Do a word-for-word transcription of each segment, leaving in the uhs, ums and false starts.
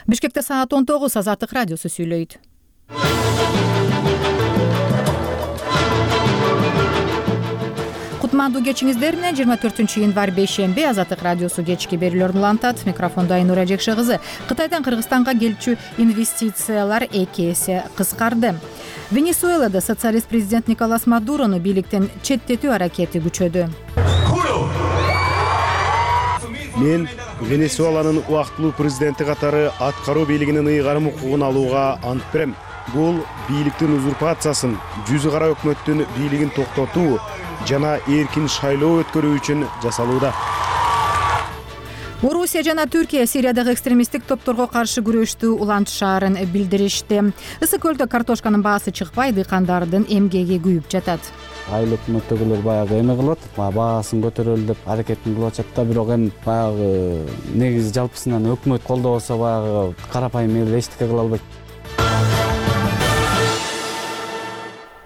Бишкекте саат он тогуз. Азаттык радиосу сүйлөйт. Кутмандуу кечиңиздер менен жыйырма төртүнчү январь бейшемби Азаттык радиосу кечки берүүлөрүн улантат. Микрофондо Айнура Жекше кызы. Кытайдан Кыргызстанга келчү инвестициялар эки эсе кыскарды. Венесуэлада социалист президент Николас Мадурону бийликтен четтетүү аракети күчөдү. Мен Венесуэланын убактылуу президенти катары аткаруу бийлигинин ыйгарым укугун алууга ант берем. Бул бийликтин узурпациясын, жүзү кара өкмөттүн бийлигин токтотуу жана эркин шайлоо өткөрүү үчүн жасалууда. Орусия жана Түркия Сириядагы экстремисттик топторго каршы күрөштү улантышаарын билдиришти. Ысык көлдө картошканын баасы чыкпай, дыйкандардын эмгеги күйүп жатат. Айыл өкмөттөгүлөр баягы эме кылат, баасын көтөрөлү деп аракетин кылып атышат да, бирок эми баягы негизи жалпысынан өкмөт колдобосо баягы карапайым эл эчтеке кыла албайт.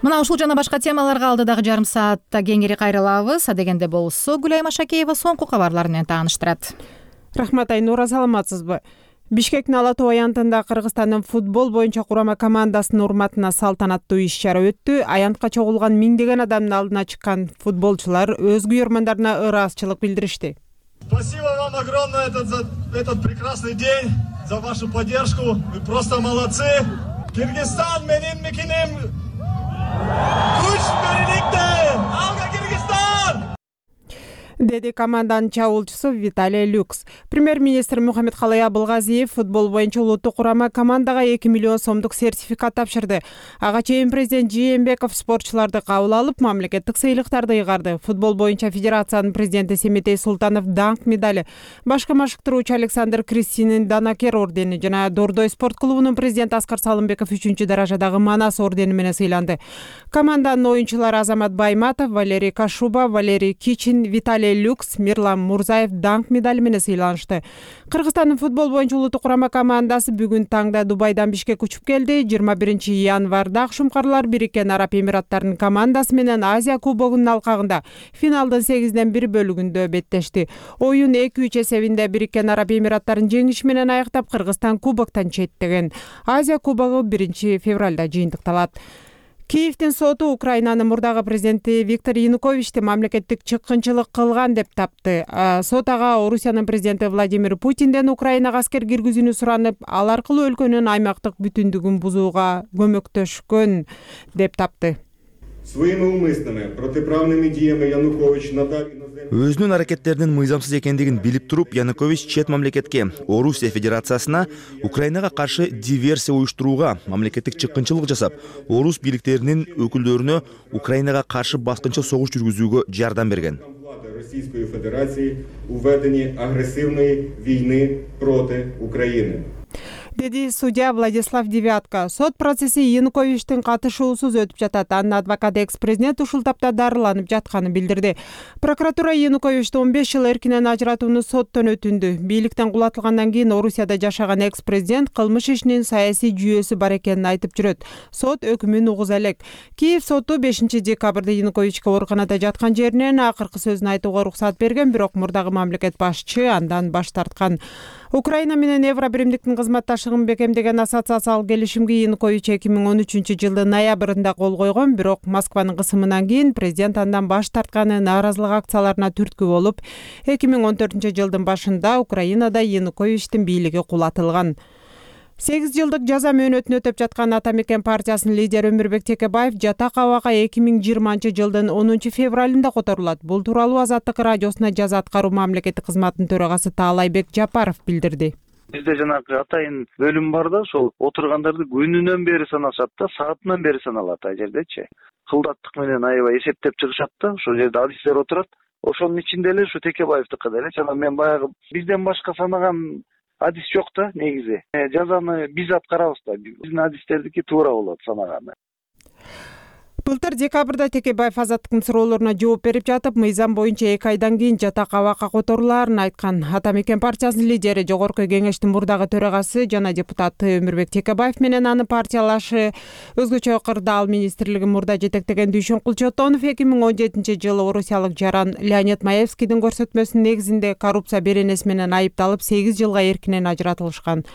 Мына ушул жана башка темаларга алдыдагы жарым саатта кеңири кайрылабыз. Адегенде болсо Гүлайым Ашакеева соңку кабарлар менен тааныштырат. Рахмат Айнура, саламатсызбы? Бишкектин Ала Тоо аянтында Кыргызстандын футбол боюнча курама командасынын урматына салтанаттуу иш-чара өттү. Аянтка чогулган миңдеген адамдын алдына чыккан футболчулар өз күйөрмандарына ыраазычылык билдиришти. Спасибо вам огромное за этот прекрасный день, за вашу поддержку. Вы просто молодцы. Кыргызстан менин мекенем. Күч бериликте. Алга Кыргызстан! Деди команданын чабуулчусу Виталий Люкс. Премьер-министр Мухаммедкалый Абылгазиев футбол боюнча улуттук курама командага эки миллион сомдук сертификат тапшырды. Ага чейин президент Жээнбеков спортчуларды кабыл алып, мамлекеттик сыйлыктарды ыйгарды. Футбол боюнча федерациянын президенти Семетей Султанов даңк медали, башкы машыктыруучу Александр Кристинин Данакер ордени жана Дордой спорт клубунун президенти Аскар Салымбеков үчүнчү даражадагы Манас ордени менен сыйланды. Команданын оюнчулары Азамат Байматов, Валерий Кашуба, Валерий Кичин, Виталий Люкс, Мирлан Мурзаев даңк медали менен сыйланышты. Кыргызстандын футбол боюнча улуттук курама командасы бүгүн таңда Дубайдан Бишкекке учуп келди. жыйырма биринчи январда Акшумкарлар Бириккен Араб Эмираттарынын командасы менен Азия кубогунун алкагында финалдын сегизден бир бөлүгүндө беттешти. Оюн эки үч эсебинде Бириккен Араб Эмираттарын жеңиши менен аяктап, Кыргызстан кубоктон четтеген. Азия кубогу биринчи февралда жыйынтыкталат. Киевдин соту Украинанын мурдагы президенти Виктор Януковичти мамлекеттик чыккынчылык кылган деп тапты. Сот ага Орусиянын президенти Владимир Путинден Украинага аскер киргизүүнү суранып, ал аркылуу өлкөнүн аймактык бүтүндүгүн бузууга көмөктөшкөн деп тапты. Своими умыслами, протиправными диями Янукович надал Өзүнүн аракеттеринин мыйзамсыз экендигин билип туруп, Янукович чет мамлекетке, Орусия Федерациясына Украинага каршы диверсия уюштурууга, мамлекеттик чыккынчылык жасап, орус бийликтеринин өкүлдөрүнө Украинага каршы баскынча согуш жүргүзүүгө жардам берген. Российской Федерации у ведении агрессивной войны против Украины. Деди судья Владислав Девятко. Сот процесси Януковичтин катышуусуз өтүп жатат. Анын адвокаты экс-президент ушул тапта дарыланып жатканын билдирди. Прокуратура Януковичти он беш жыл эркинен ажыратууну соттон өтүндү. Бийликтен кулатылгандан кийин Орусияда жашаган экс-президент кылмыш ишинин саясий жүйөсү бар экенин айтып жүрөт. Сот өкүмүн угуза элек. Киев соту бешинчи декабрда Януковичке ооруканада жаткан жеринен акыркы сөзүн айтууга уруксат берген, бирок мурдагы мамлекет башчы андан баш тарткан. Украина менен Евробиримдиктин кызматташтыгын бекемдеген ассоциациялык келишимге Янукович эки миң он үчүнчү жылдын ноябрында кол койгон, бирок Москванын кысымынан кийин президент андан баш тартканы нааразылык акцияларына түрткү болуп, эки миң он төртүнчү жылдын башында Украинада Януковичтин бийлиги кулатылган. сегиз жылдык жаза мөөнөтүн өтөп жаткан Ата Мекен партиясынын лидери Өмүрбек Текебаев жатак абага эки миң жыйырманчы жылдын онунчу февралында которулат. Бул тууралуу Азаттык радиосуна жаза аткаруу мамлекеттик кызматынын төрагасы Таалайбек Жапаров билдирди. Бизде жанагы атайын бөлүм бар да, ошол отургандарды күнүнөн бери санашат да, саатынан бери саналат ал жердечи. Кылдаттык менен аябай эсептеп чыгышат да, ошол жерде адистер отурат. Ошонун ичинде эле ушу Текебаевдики деле жана мен баягы бизден башка санаган адис жок да негизи. Жазаны биз аткарабыз да. Биздин адистердики туура болот санаганы. Былтыр декабрда Текебаев Азаттыктын суроолоруна жооп берип жатып, мыйзам боюнча эки айдан кийин жатак абакка которулаарын айткан. Ата Мекен партиясынын лидери, Жогорку Кеңештин мурдагы төрагасы жана депутаты Өмүрбек Текебаев менен анын партиялашы өзгөчө кырдаал министрлигин мурда жетектеген Дүйшөн Кулчотонов эки миң он жетинчи жылы орусиялык жаран Леонид Маевскийдин көрсөтмөсүнүн негизинде коррупция беренеси менен айыпталып сегиз жылга эркинен ажыратылышкан.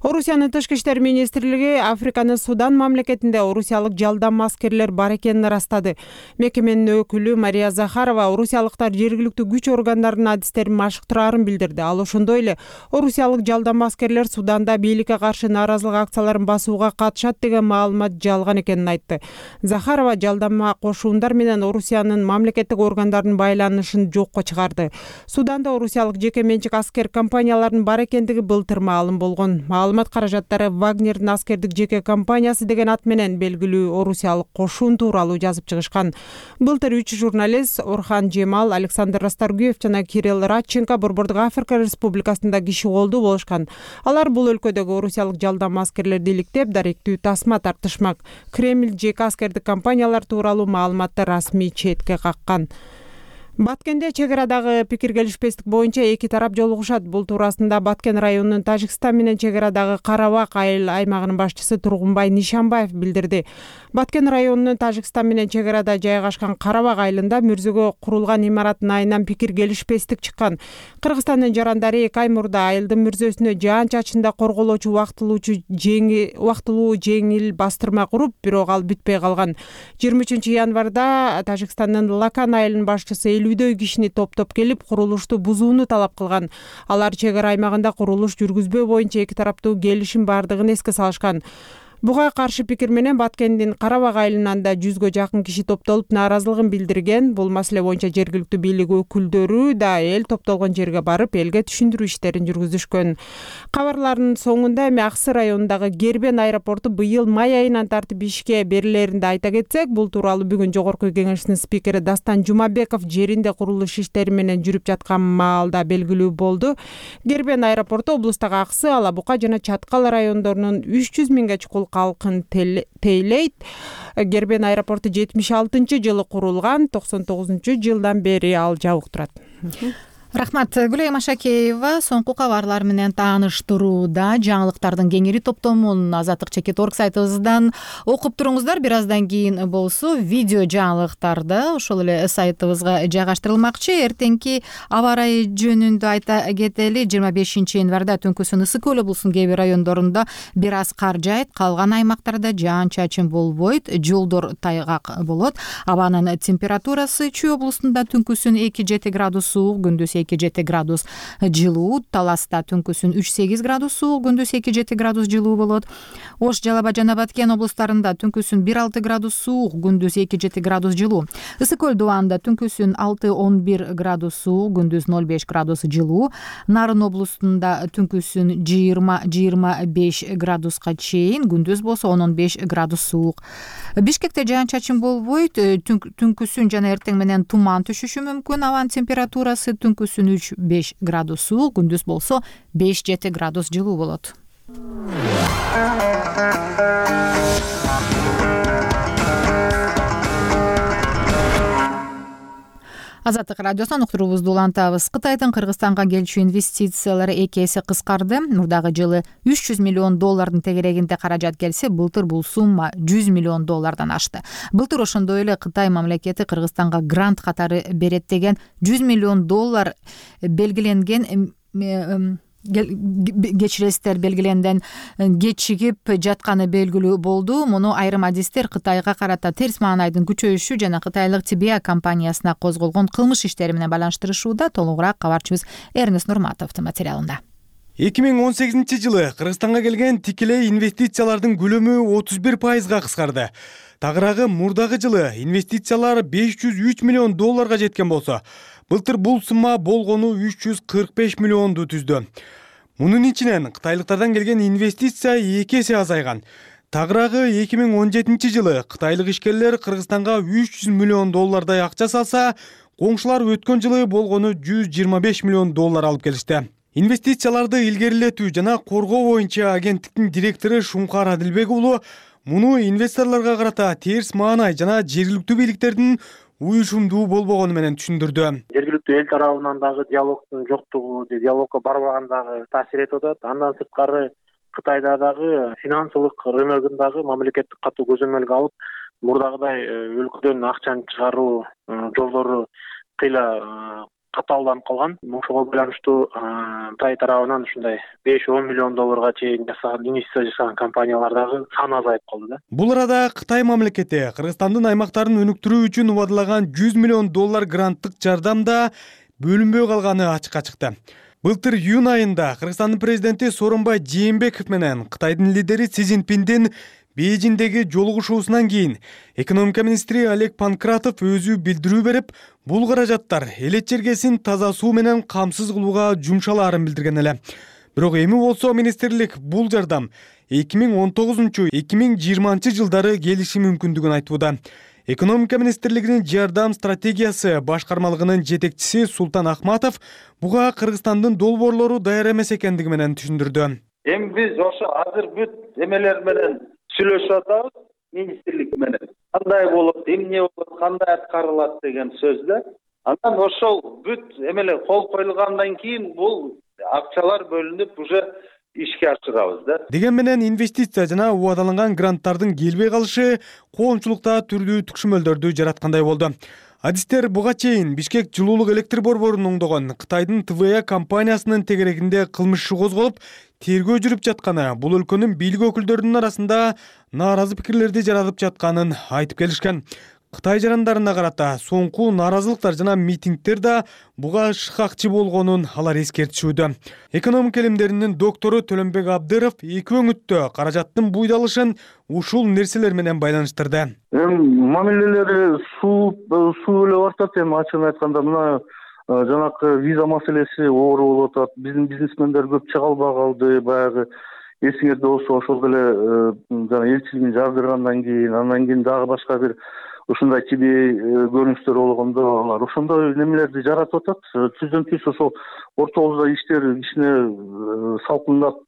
Орусиянын тышкы иштер министрлиги Африканын Судан мамлекетинде орусиялык жалдам аскерлер бар экенин ырастады. Мекеменин өкүлү Мария Захарова орусиялыктар жергиликтүү күч органдарынын адистерин машыктыраарын билдирди. Ал ошондой эле орусиялык жалдам аскерлер Суданда бийликке каршы нааразылык акцияларын басууга катышат деген маалымат жалган экенин айтты. Захарова жалдама кошуундар менен Орусиянын мамлекеттик органдарынын байланышын жокко чыгарды. Суданда орусиялык жеке менчик аскер компанияларынын бар экендиги былтыр маалым болгон. Маалымат каражаттары Вагнердин аскердик жеке компаниясы деген ат менен белгилүү орусиялык кошун тууралуу жазып чыгышкан. Былтыр үч журналист Орхан Жемал, Александр Расторгуев жана Кирилл Радченко Борбордук Африка Республикасында киши колдуу болушкан. Алар бул өлкөдөгү орусиялык жалдам аскерлерди иликтеп, даректүү тасма тартышмак. Кремль жеке аскердик компаниялар тууралуу маалыматты расмий четке каккан. Баткенде чек арадагы пикир келишпестик боюнча эки тарап жолугушат. Бул туурасында Баткен районунун Тажикстан менен чек арадагы Карабак айыл аймагынын башчысы Тургунбай Нишанбаев билдирди. Баткен районунун Тажикстан менен чек арада жайгашкан Карабак айылында мөрзөгө курулган имараттын айынан пикир келишпестик чыккан. Кыргызстандын жарандары эки ай мурда айылдын мөрзөсүнө жаан-чачында корголоочу убактылуучу жеңил убактылуу жеңил бастырма куруп, бирок ал бүтпөй калган. жыйырма үчүнчү январда Тажикстандын Лакан айылынын башчысы элүүдөй кишини топтоп келип, курулушту бузууну талап кылган. Алар чек ара аймагында курулуш жүргүзбөө боюнча эки тараптуу келишим бардыгын эске салышкан. Буга каршы пикир менен Баткендин Карабак айылынан да жүзгө жакын киши топтолуп нааразылыгын билдирген. Бул маселе боюнча жергиликтүү бийлик өкүлдөрү да эл топтолгон жерге барып, элге түшүндүрүү иштерин жүргүзүшкөн. Кабарлардын соңунда эми Аксы районундагы Гербен аэропорту быйыл май айынан тартып ишке берилеринди айта кетсек, бул тууралуу бүгүн Жогорку Кеңештин спикери Дастан Жумабеков жеринде курулуш иштери менен жүрүп жаткан маалда белгилүү болду. Гербен аэропорту облустагы Аксы, Ала Бука жана Чаткал райондорунун үч жүз миңге чукул калкын тейлейт. Гербен аэропорту жетимиш алтынчы жылы курулган, токсон тогузунчу жылдан бери ал жабык турат. Рахмат. Гүлайым Ашакеева соңку кабарлар менен тааныштырууда жаңылыктардын кеңири топтомун Азаттык чекит орг сайтыбыздан окуп туруңуздар. Бир аздан кийин болсо видео жаңылыктарды ошол эле сайтыбызга жайгаштырылмакчы. Эртеңки аба ырайы жөнүндө айта кетели. жыйырма бешинчи январда түнкүсүн Ысык көл облусунун кээ бир райондорунда бир аз кар жаайт, калган аймактарда жаан-чачын болбойт, жолдор тайгак болот. Абанын температурасы Чүй облусунда түнкүсүн эки жети градус суук, күндүз эки жети градус жылуу, Таласта түнкүсүн үч сегиз градус суук, күндүз эки жети градус жылуу болот. Ош, Жалал Абад жана Баткен облустарында түнкүсүн бир алты градус суук, күндүз эки жети градус жылуу. Ысык көл Дубанда түнкүсүн алты он бир градус суук, күндүз ноль беш градус жылуу. Нарын облустунда түнкүсүн жыйырма жыйырма беш градуска чейин, күндүз болсо он он беш градус суук. Бишкекте жаан-чачын болбойт, түнкүсүн жана эртең менен туман түшүшү мүмкүн. Абанын температурасы түнкүсүн үч беш градус суук, күндүз болсо беш жети градус жылуу болот. Азаттык радиосунан уктуруубузду улантабыз. Кытайдын Кыргызстанга келчү инвестициялары эки эсе кыскарды. Мурдагы жылы үч жүз миллион доллардын тегерегинде каражат келсе, былтыр бул сумма жүз миллион доллардан ашты. Былтыр ошондой эле Кытай мамлекети Кыргызстанга грант катары берет деген жүз миллион доллар белгиленген кечиресиздер белгиленден кечигип жатканы белгилүү болду. Муну айрым адистер Кытайга карата терс маанайдын күчөйүшү жана кытайлык Тибиа компаниясына козголгон кылмыш иштери менен байланыштырышууда. Толугураак кабарчыбыз Эрнест Нурматовдун материалында. эки миң он сегизинчи жылы Кыргызстанга келген тикелей инвестициялардын көлөмү отуз бир пайызга кыскарды. Тагыраагы мурдагы жылы инвестициялар беш жүз үч миллион долларга жеткен болсо, былтыр бул сумма болгону үч жүз кырк беш миллионду түздү. Мунун ичинен кытайлыктардан келген инвестиция эки эсе азайган. Тагыраагы эки миң он жетинчи жылы кытайлык ишкерлер Кыргызстанга үч жүз миллион доллардай акча салса, коңшулар өткөн жылы болгону жүз жыйырма беш миллион доллар алып келишти. Инвестицияларды илгерилетүү жана коргоо боюнча агенттиктин директору Шуңкар Адилбек уулу муну инвесторлорго карата терс маанай жана жергиликтүү бийликтердин уюшумдуу болбогону менен түшүндүрдү. Жергиликтүү эл тарабынан дагы диалогдун жоктугу, диалогко барбагандагы таасир этип атат. Андан сырткары Кытайда дагы финансылык рыногундагы мамлекеттик катуу көзөмөлгө алып, мурдагыдай өлкөдөн акчаны чыгаруу жолдору кыйла катаалданып калган. Ошого байланыштуу Кытай тарабынан ушундай беш он миллион долларга чейин жасаган инвестиция жасаган компаниялар дагы саны азайып калды да. Бул арада Кытай мамлекети Кыргызстандын аймактарын өнүктүрүү үчүн убадылаган жүз миллион доллар гранттык жардам да бөлүнбөй калганы ачыкка чыкты. Былтыр июнь айында Кыргызстандын президенти Сооронбай Жээнбеков менен Кытайдын лидери Си Цзиньпиндин Бейжиңдеги жолугушуусунан кийин экономика министри Олег Панкратов өзү билдирүү берип, бул каражаттар элет жергесин таза суу менен камсыз кылууга жумшалаарын билдирген эле. Бирок эми болсо министрлик бул жардам эки миң он тогузунчу — эки миң жыйырманчы жылдары келиши мүмкүндүгүн айтууда. Экономика министрлигинин жардам стратегиясы башкармалыгынын жетекчиси Султан Ахматов буга Кыргызстандын долбоорлору даяр эмес экендиги менен түшүндүрдү. Эми биз ошо азыр бүт эмелер менен сүйлөшүп атабыз, министрлик менен. Кандай болот, эмне болот, кандай аткарылат деген сөз да. Анан ошол бүт эмелер кол коюлгандан кийин бул акчалар бөлүнүп уже ишке ашырабыз да. Деген менен инвестиция жана убадаланган гранттардын келбей калышы коомчулукта түрдүү түкшүмөлдөрдү жараткандай болду. Адистер буга чейин Бишкек жылуулук электр борборун оңдогон Кытайдын Тэ Вэ А компаниясынын тегерегинде кылмыш иши козголуп, тергөө жүрүп жатканы, бул өлкөнүн бийлик өкүлдөрүнүн арасында нааразы пикирлерди жаратып жатканын айтып келишкен. Кытай жарандарына карата соңку нааразылыктар жана митингдер да буга шыкакчы болгонун алар эскертишүүдө. Экономика илимдеринин доктору Төлөнбек Абдыров эки өңүттө каражаттын буйдалышын ушул нерселер менен байланыштырды. Эми мамилелери суу суу эле бартат. Эми ачыгын айтканда мына жанакы виза маселеси оор болуп атат. Биздин бизнесмендер көп чыга албай калды. Баягы эсиңерде болсо ошол эле жана элчилигин жардыргандан кийин, андан кийин дагы башка бир ушундай кибей көрүнүштөр болгондо алар ошондой немелерди жаратып атат. Түздөн түз ошол ортобузда иштер кичине салкындап,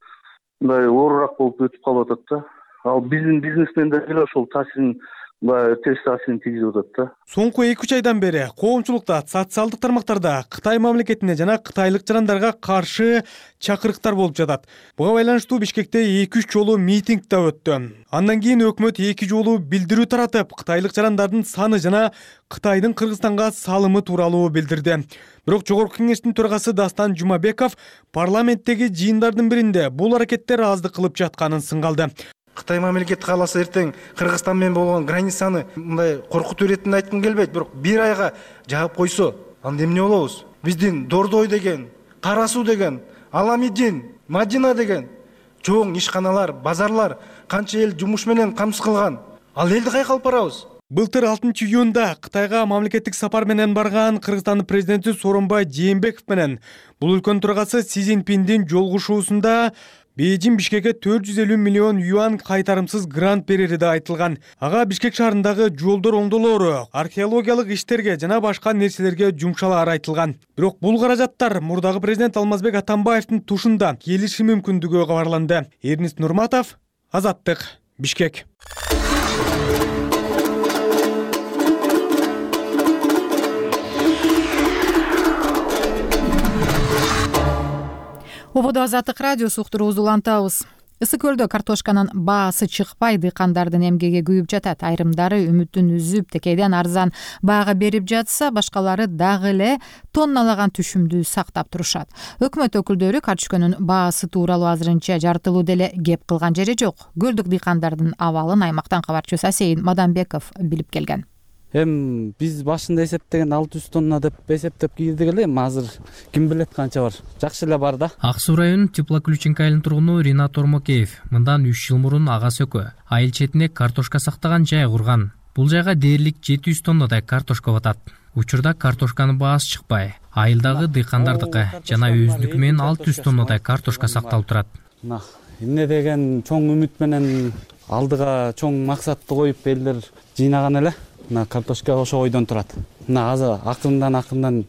мындай оорураак болуп өтүп калып атат да. Ал биздин бизнесмендер деле ошол таасирин терс таасирин тийгизип атат да. Соңку эки үч айдан бери коомчулукта социалдык тармактарда Кытай мамлекетине жана кытайлык жарандарга каршы чакырыктар болуп жатат. Буга байланыштуу Бишкекте эки үч жолу митинг да өттү. Андан кийин өкмөт эки жолу билдирүү таратып, кытайлык жарандардын саны жана Кытайдын Кыргызстанга салымы тууралуу билдирди. Бирок Жогорку кеңештин төрагасы Дастан Жумабеков парламенттеги жыйындардын биринде бул аракеттер аздык кылып жатканын сынгалды. Кытай мамлекети кааласа эртең Кыргызстан менен болгон границаны мындай коркутуу иретинде айткым келбейт, бирок бир айга жаап койсо, анда эмне болобуз? Биздин Дордой деген, Кара Суу деген, Аламидин, Мадина деген чоң ишканалар, базарлар канча эл жумуш менен камсыз кылган. Ал элди кайка алып барабыз? Былтыр алтынчы июнда Кытайга мамлекеттик сапар менен барган Кыргызстандын президенти Сооронбай Жээнбеков менен бул өлкөнүн төрагасы Си Цзиньпиндин жолугушуусунда Бейжиң Бишкекке төрт жүз элүү миллион юан кайтарымсыз грант берери да айтылган. Ага Бишкек шаарындагы жолдор оңдолоору, археологиялык иштерге жана башка нерселерге жумшалаары айтылган. Бирок бул каражаттар мурдагы президент Алмазбек Атамбаевдин тушунда келиши мүмкүндүгү кабарланды. Эрнис Нурматов, Азаттык, Бишкек. Ободо Азаттык радиосу уктуруубузду улантабыз. Ысык көлдө картошканын баасы чыкпай, дыйкандардын эмгеги күйүп жатат. Айрымдары үмүтүн үзүп, текейден арзан баага берип жатса, башкалары дагы эле тонналаган түшүмдү сактап турушат. Өкмөт өкүлдөрү картошканын баасы тууралуу азырынча жартылуу деле кеп кылган жери жок. Көлдүк дыйкандардын абалын аймактан кабарчыбыз Асейин Мадамбеков билип келген. Эми биз башында эсептеген алты жүз тонна деп эсептеп кийдик эле, эми азыр ким билет канча бар. Жакшы эле бар да. Ак Суу районунун Теплоключенко айылынын тургуну Ринат Ормокеев мындан үч жыл мурун ага сөкө айыл четине картошка сактаган жай курган. Бул жайга дээрлик жети жүз тоннадай картошка батат. Учурда картошканын баасы чыкпай, айылдагы дыйкандардыкы жана өзүнүкү менен алты жүз тоннадай картошка сакталып турат. Мына эмне деген чоң үмүт менен алдыга чоң максатты коюп элдер жыйнаган эле. Мына картошка ошо ойдон турат. Мына азыр акырындан акырындан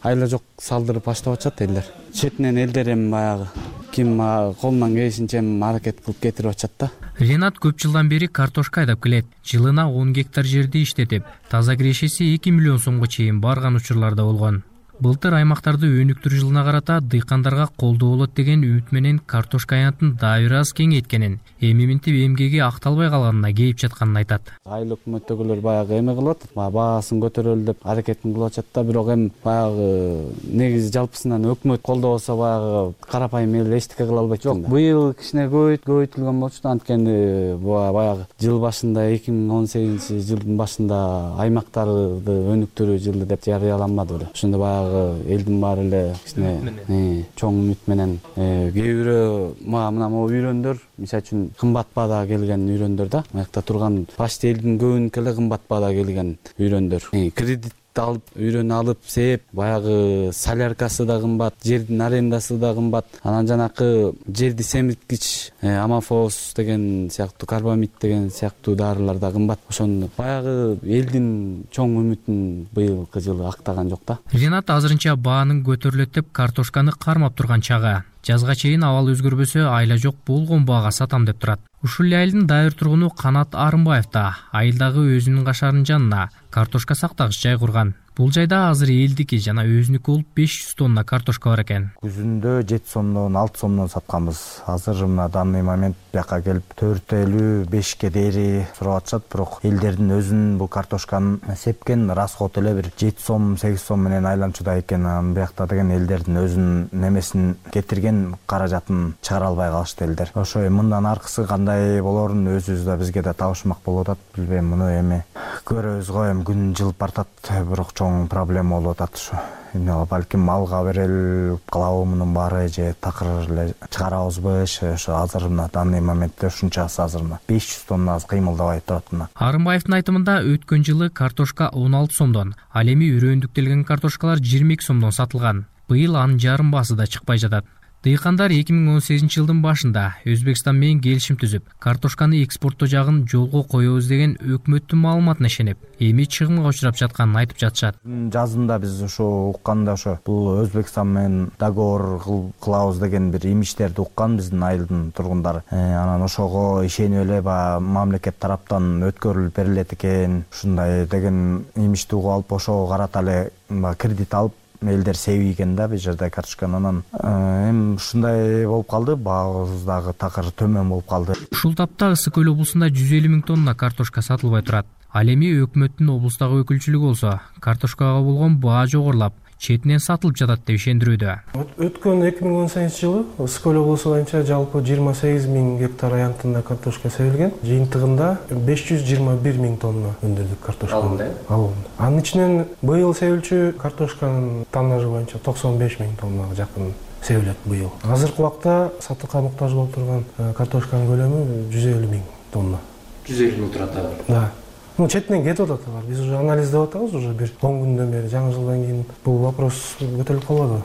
айла жок салдырып баштап атышат элдер. Четинен элдер эми баягы ким колунан келишинче аракет кылып кетирип атышат да. Ренат көп жылдан бери картошка айдап келет. Жылына он гектар жерди иштетип, таза кирешеси эки миллион сомго чейин барган учурларда болгон. Былтыр аймактарды өнүктүрүү жылына карата дыйкандарга колдоо болот деген үмүт менен картошка аянтын дагы бир аз кеңейткенин, эми минтип эмгеги акталбай калганына кейип жатканын айтат. Айыл өкмөттөгүлөр баягы эме кылып атат, баасын көтөрөлү деп аракетин кылып атышат да, бирок эми баягы негизи жалпысынан өкмөт колдоо болсо баягы карапайым эл эчтеке кыла албайт. Жок, быйыл кичине көбөйт көбөйтүлгөн болчу да, анткени баягы жыл башында эки миң он сегизинчи жылдын башында аймактарды өнүктүрүү жылы деп жарыяланмады беле. Ошондо баягы элдин баары эле кичине чоң үмүт менен кээ бирөө мына могу үйрөндөр, мисалы үчүн кымбат баада келген үйрөндөр да, аякта турган почти элдин көбүнүкү эле кымбат баада келген үйрөндөр. Кредит алып, үйрөнү алып сээп, баягы соляркасы да кымбат, жердин арендасы да кымбат. Анан жанакы жерди семирткич амофос деген сыяктуу, карбамид деген сыяктуу дарылар да кымбат. Ошондо баягы элдин чоң үмүтүн быйылкы жылы актаган жок да. Ринат азырынча баанын көтөрүлөт деп картошканы кармап турган чагы. Жазга чейин абал өзгөрбөсө айла жок болгон баага сатам деп турат. Ушул эле айылдын дагы бир тургуну Канат Арымбаев да айылдагы өзүнүн кашарынын жанына картошка сактагыч жай курган. Бул жайда азыр элдики жана өзүнүкү болуп беш жүз тонна картошка бар экен. Күзүндө жети сомдон алты сомдон сатканбыз. Азыр мына данный момент бияка келип төрт элүү бешке дейри сурап атышат, бирок элдердин өзүнүн бул картошканын сепкен расход эле бир жети сом сегиз сом менен айланчуда экен. Анан биякта деген элдердин өзүнүн немесин кетирген каражатын чыгара албай калышты элдер. Ошо мындан аркысы кандай болорун өзүбүз да бизге да табышмак болуп атат. Билбейм, муну эми көрөбүз го, эми күн жылып бартат, бирок чоң проблема болуп атат ушу. Эмне балким малга берел кылабы мунун баары же такыр эле чыгарабызбы, ошо азыр мына данный моментте ушунчасы азыр мына беш жүз тонна кыймылдабай турат мына. Арымбаевдин айтымында өткөн жылы картошка он алты сомдон, ал эми үрөндүктөлгөн картошкалар жыйырма эки сомдон сатылган. Быйыл анын жарым баасы да чыкпай жатат. Дыйкандар эки миң он сегизинчи жылдын башында Өзбекстан менен келишим түзүп, картошканы экспорттоо жагын жолго коебуз деген өкмөттүн маалыматына ишенип, эми чыгымга учурап жатканын айтып жатышат. Жазында биз ошо укканда ошо бул Өзбекстан менен договор кылабыз деген бир имиштерди уккан биздин айылдын тургундары. Анан ошого ишенип эле баягы мамлекет тараптан өткөрүлүп берилет экен, ушундай деген имишти угуп алып, ошого карата эле кредит алып элдер себийген да бул жерде картошканы. Анан эми ушундай болуп калды, баабыз дагы такыр төмөн болуп калды. Ушул тапта Ысык көл облусунда жүз элүү миң тонна картошка сатылбай турат. Ал эми өкмөттүн облустагы өкүлчүлүгү болсо картошкага болгон баа жогорулап, четинен сатылып жатат деп ишендирүүдө. Өткөн эки миң он сегизинчи жылы Ысык көл облусу боюнча жалпы жыйырма сегиз миң гектар аянтында картошка себилген. Жыйынтыгында беш жүз жыйырма бир миң тонна өндүрдүк картошканы. Алынды. Анын ичинен быйыл себилчү картошканын тоннажы боюнча токсон беш миң тоннага жакын себилет быйыл. Азыркы убакта сатыкка муктаж болуп турган картошканын көлөмү жүз элүү миң тонна. жүз элүү миң турат азыр. Да. Ну, четинен кетип атат алар. Биз уже анализдеп атабыз, уже бир он күндөн бери, жаңы жылдан кийин бул вопрос көтөрүлүп калбады.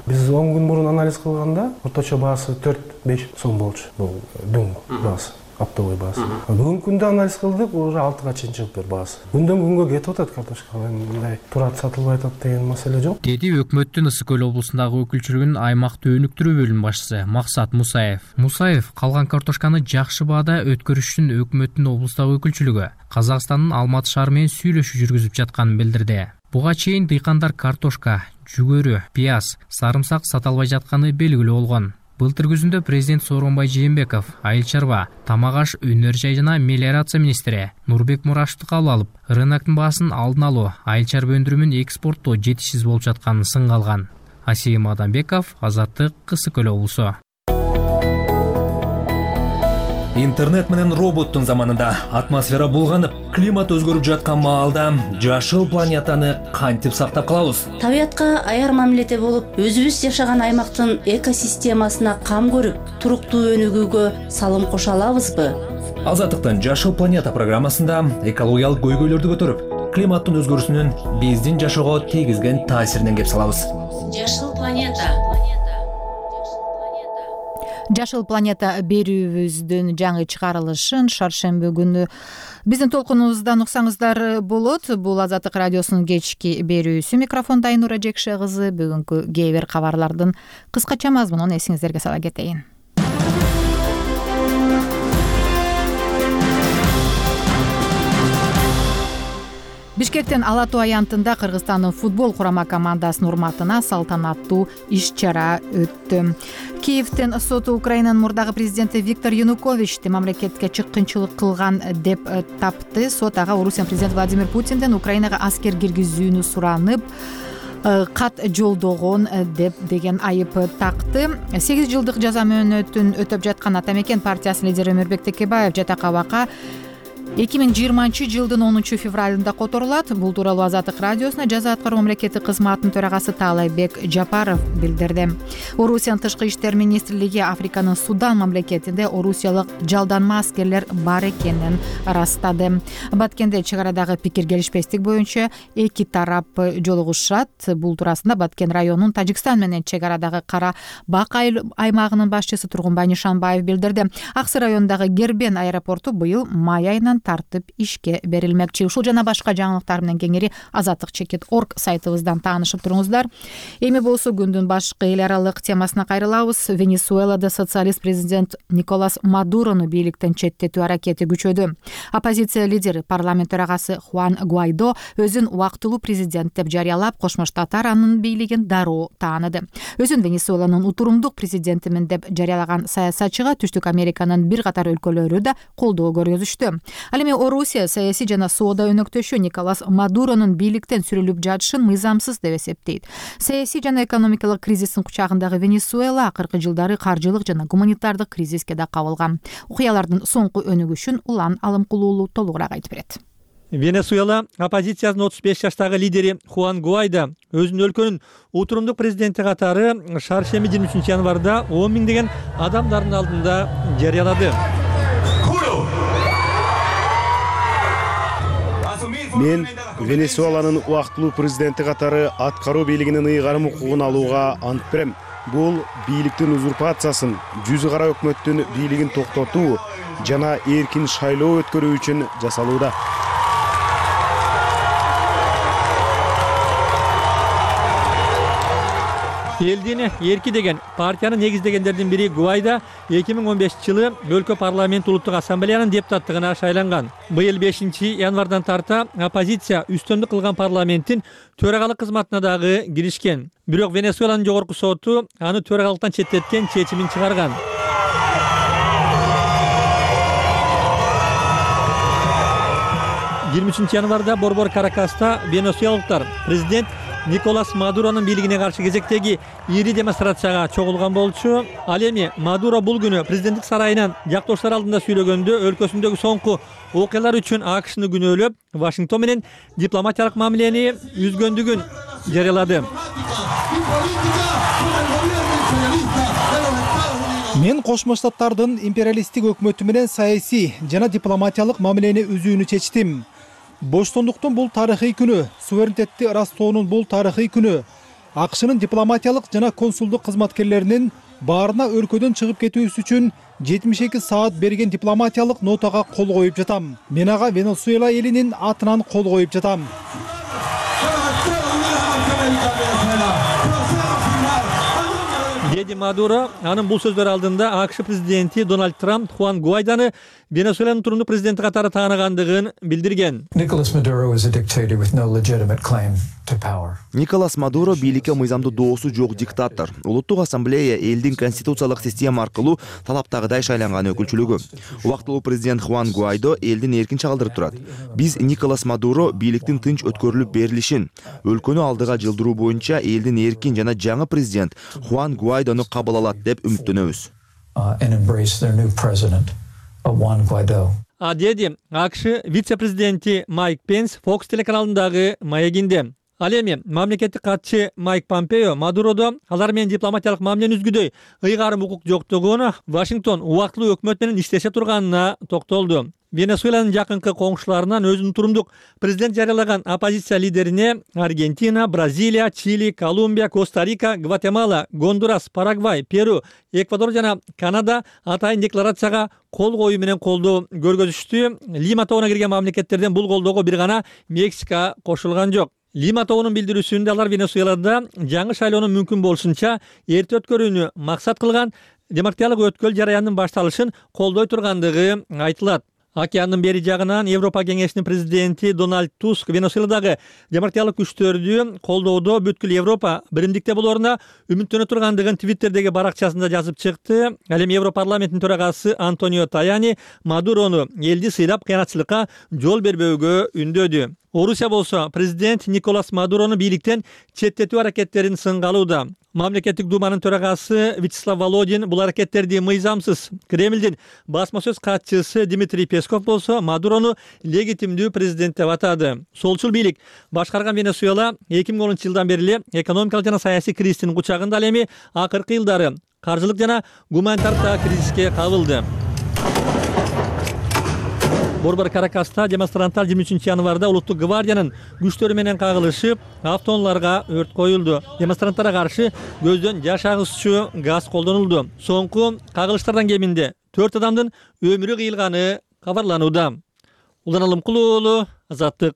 Биз он күн мурун анализ кылганда орточо баасы төрт беш сом болчу. Бул дүң баасы, оптовый баасы. Бүгүнкү күндө анализ кылдык, уже алтыга чейин чыгып бер баасы. Күндөн күнгө кетип атат картошка. Мындай турат сатылбай атат деген маселе жок. Деди өкмөттүн Ысык көл облусундагы өкүлчүлүгүнүн аймакты өнүктүрүү бөлүм башчысы Максат Мусаев. Мусаев калган картошканы жакшы баада өткөрүш үчүн өкмөттүн облустагы өкүлчүлүгү Казакстандын Алматы шаары менен сүйлөшүү жүргүзүп жатканын билдирди. Буга чейин дыйкандар картошка, жүгөрү, пияз, сарымсак сата албай жатканы белгилүү болгон. Былтыр күзүндө президент Сооронбай Жээнбеков айыл чарба, тамак аш, өнөр жай жана мелиорация министри Нурбек Мурашевди кабыл алып, рыноктун баасын алдын алуу, айыл чарба өндүрүүнүн экспорттоо жетишсиз болуп жатканын сынга алган. Асим Адамбеков, Азаттык, Ысык көл облусу. Интернет менен роботтун заманында атмосфера булганып, климат өзгөрүп жаткан маалда жашыл планетаны кантип сактап калабыз? Табиятка аяр мамиледе болуп, өзүбүз жашаган аймактын экосистемасына кам көрүп, туруктуу өнүгүүгө салым кошо алабызбы? Азаттыктын Жашыл планета программасында экологиялык көйгөйлөрдү көтөрүп, климаттын өзгөрүүсүнүн биздин жашоого тийгизген таасиринен кеп салабыз. Жашыл планета. Жашыл планета берүүбүздүн жаңы чыгарылышын шаршемби күнү биздин толкунубуздан уксаңыздар болот. Бул Азаттык радиосунун кечки берүүсү. Микрофондо Айнура Жекше кызы. Бүгүнкү кээ бир кабарлардын кыскача мазмунун эсиңиздерге сала кетейин. Бишкектин Ала Тоо аянтында Кыргызстандын футбол курама командасынын урматына салтанаттуу иш-чара өттү. Киевдин соту Украинанын мурдагы президенти Виктор Януковичти мамлекетке чыккынчылык кылган деп тапты. Сот ага Орусиянын президенти Владимир Путинден Украинага аскер киргизүүнү суранып кат жолдогон деп деген айып такты. сегиз жылдык жаза мөөнөтүн өтөп жаткан Ата Мекен партиясынын лидери Өмүрбек Текебаев жатак абакка эки миң жыйырманчы жылдын онунчу февралында которулат. Бул тууралуу Азаттык радиосуна жаза аткаруу мамлекеттик кызматынын төрагасы Таалайбек Жапаров билдирди. Орусиянын тышкы иштер министрлиги Африканын Судан мамлекетинде орусиялык жалданма аскерлер бар экенин ырастады. Баткенде чек арадагы пикир келишпестик боюнча эки тарап жолугушат. Бул туурасында Баткен районунун Тажикстан менен чек арадагы Кара Бак аймагынын башчысы Тургунбай Нишанбаев билдирди. Аксы районундагы Гербен аэропорту быйыл май айынан тартып ишке берилмекчи. Ушул жана башка жаңылыктар менен кеңири азаттык чекит орг сайтыбыздан таанышып туруңуздар. Эми болсо күндүн башкы эл аралык темасына кайрылабыз. Венесуэлада социалист президент Николас Мадурону бийликтен четтетүү аракети күчөдү. Оппозиция лидери парламент төрагасы Хуан Гуайдо өзүн убактылуу президент деп жарыялап, Кошмо Штаттар анын бийлигин дароо тааныды. Өзүн Венесуэланын утурумдук президентимин деп жарыялаган саясатчыга Түштүк Американын бир катар өлкөлөрү да колдоо көргөзүштү. Ал эми Орусия саясий жана соода өнөктөшү Николас Мадуронун бийликтен сүрүлүп жатышын мыйзамсыз деп эсептейт. Саясий жана экономикалык кризистин кучагындагы Венесуэла акыркы жылдары каржылык жана гуманитардык кризиске да кабылган. Окуялардын соңку өнүгүшүн Улан Алымкулуулу толугураак айтып берет. Венесуэла оппозициянын отуз беш жаштагы лидери Хуан Гуайдо өзүнүн өлкөнүн утурумдук президенти катары шаршемби жыйырма үчүнчү январда он миңдеген адамдардын алдында жарыялады. Мен Венесуэланын убактылуу президенти катары аткаруу бийлигинин ыйгарым укугун алууга ант берем. Бул бийликтин узурпациясын, жүзү кара өкмөттүн бийлигин токтотуу жана эркин шайлоо өткөрүү үчүн жасалууда. Элдин эрки деген партияны негиздегендердин бири Гуайдо эки миң он бешинчи жылы өлкө парламент улуттук ассамблеянын депутаттыгына шайланган. Быйыл бешинчи январдан тарта оппозиция үстөмдүк кылган парламенттин төрагалык кызматына дагы киришкен. Бирок Венесуэланын жогорку соту аны төрагалыктан четтеткен чечимин чыгарган. жыйырма үчүнчү январда Борбор Каракаста венесуэлалыктар президент Николас Мадуронун бийлигине каршы кезектеги ири демонстрацияга чогулган болчу. Ал эми Мадуро бул күнү президенттик сарайынан жактоштор алдында сүйлөгөндө өлкөсүндөгү соңку окуялар үчүн АКШны күнөөлөп, Вашингтон менен дипломатиялык мамилени үзгөндүгүн жарыялады. Мен Кошмо Штаттардын империалисттик өкмөтү менен саясий жана дипломатиялык мамилени үзүүнү чечтим. Боштондуктун бул тарыхый күнү, суверенитетти ырастоонун бул тарыхый күнү, АКШнын дипломатиялык жана консулдук кызматкерлеринин баарына өлкөдөн чыгып кетүүсү үчүн жетимиш эки саат берген дипломатиялык нотага кол коюп жатам. Мен ага Венесуэла элинин атынан кол коюп жатам. Деди Мадуро анын бул сөздөр алдында АКШ президенти Дональд Трамп Хуан Гуайдону Венесуэланын турумдук президенти катары тааныгандыгын билдирген. Николас Мадуро бийликке мыйзамдуу доосу жок диктатор. Улуттук ассамблея элдин конституциялык система аркылуу талаптагыдай шайланган өкүлчүлүгү. Убактылуу президент Хуан Гуайдо элдин эркин чагылдырып турат. Биз Николас Мадуро бийликтин тынч өткөрүлүп берилишин, өлкөнү алдыга жылдыруу боюнча элдин эркин жана жаңы президент Хуан Гуайдону кабыл алат деп үмүттөнөбүз. А деди АКШ вице-президенти Майк Пенс Fox телеканалындагы маегинде. Ал эми мамлекеттик катчы Майк Помпео Мадуродо алар менен дипломатиялык мамилени үзгүдөй ыйгарым укук жоктугуна, Вашингтон убактылуу өкмөт менен иштеше турганына токтолду. Венесуэланын жакынкы коңшуларынан өзүнүн турумдук президент жарыялаган оппозиция лидерине Аргентина, Бразилия, Чили, Колумбия, Коста-Рика, Гватемала, Гондурас, Парагвай, Перу, Эквадор жана Канада атайын декларацияга кол коюу менен колдоо көргөзүштү. Лима тобуна кирген мамлекеттерден бул колдоого бир гана Мексика кошулган жок. Лима тобунун билдирүүсүндө алар Венесуэлада жаңы шайлоонун мүмкүн болушунча эрте өткөрүүнү максат кылган демократиялык өткөл жараянынын башталышын колдой тургандыгы айтылат. Океандын бери жагынан Европа кеңешинин президенти Дональд Туск Венесуэладагы демократиялык күчтөрдү колдоодо бүткүл Европа биримдикте болоруна үмүттөнө тургандыгын Твиттердеги баракчасында жазып чыкты. Ал эми Европарламенттин төрагасы Антонио Таяни Мадурону элди сыйлап кыянатчылыкка жол бербөөгө үндөдү. Орусия болсо президент Николас Мадурону бийликтен четтетүү аракеттерин сынга алууда. Мамлекеттик думанын төрагасы Вячеслав Володин бул аракеттерди мыйзамсыз. Кремлдин басма сөз катчысы Дмитрий Песков болсо Мадурону легитимдүү президент деп атады. Солчул бийлик башкарган Венесуэла эки миң онунчу жылдан бери эле экономикалык жана саясий кризистин кучагында, ал эми акыркы жылдары каржылык жана гуманитардык кризиске кабылды. Борбор Каракаста демонстранттар жыйырма үчүнчү январда улуттук гвардиянын күчтөрү менен кагылышып, автоунааларга өрт коюлду. Демонстранттарга каршы көздөн жаш агызчу газ колдонулду. Соңку кагылыштардан кеминде төрт адамдын өмүрү кыйылганы кабарланууда. Улан Алымкулуу уулу, Азаттык.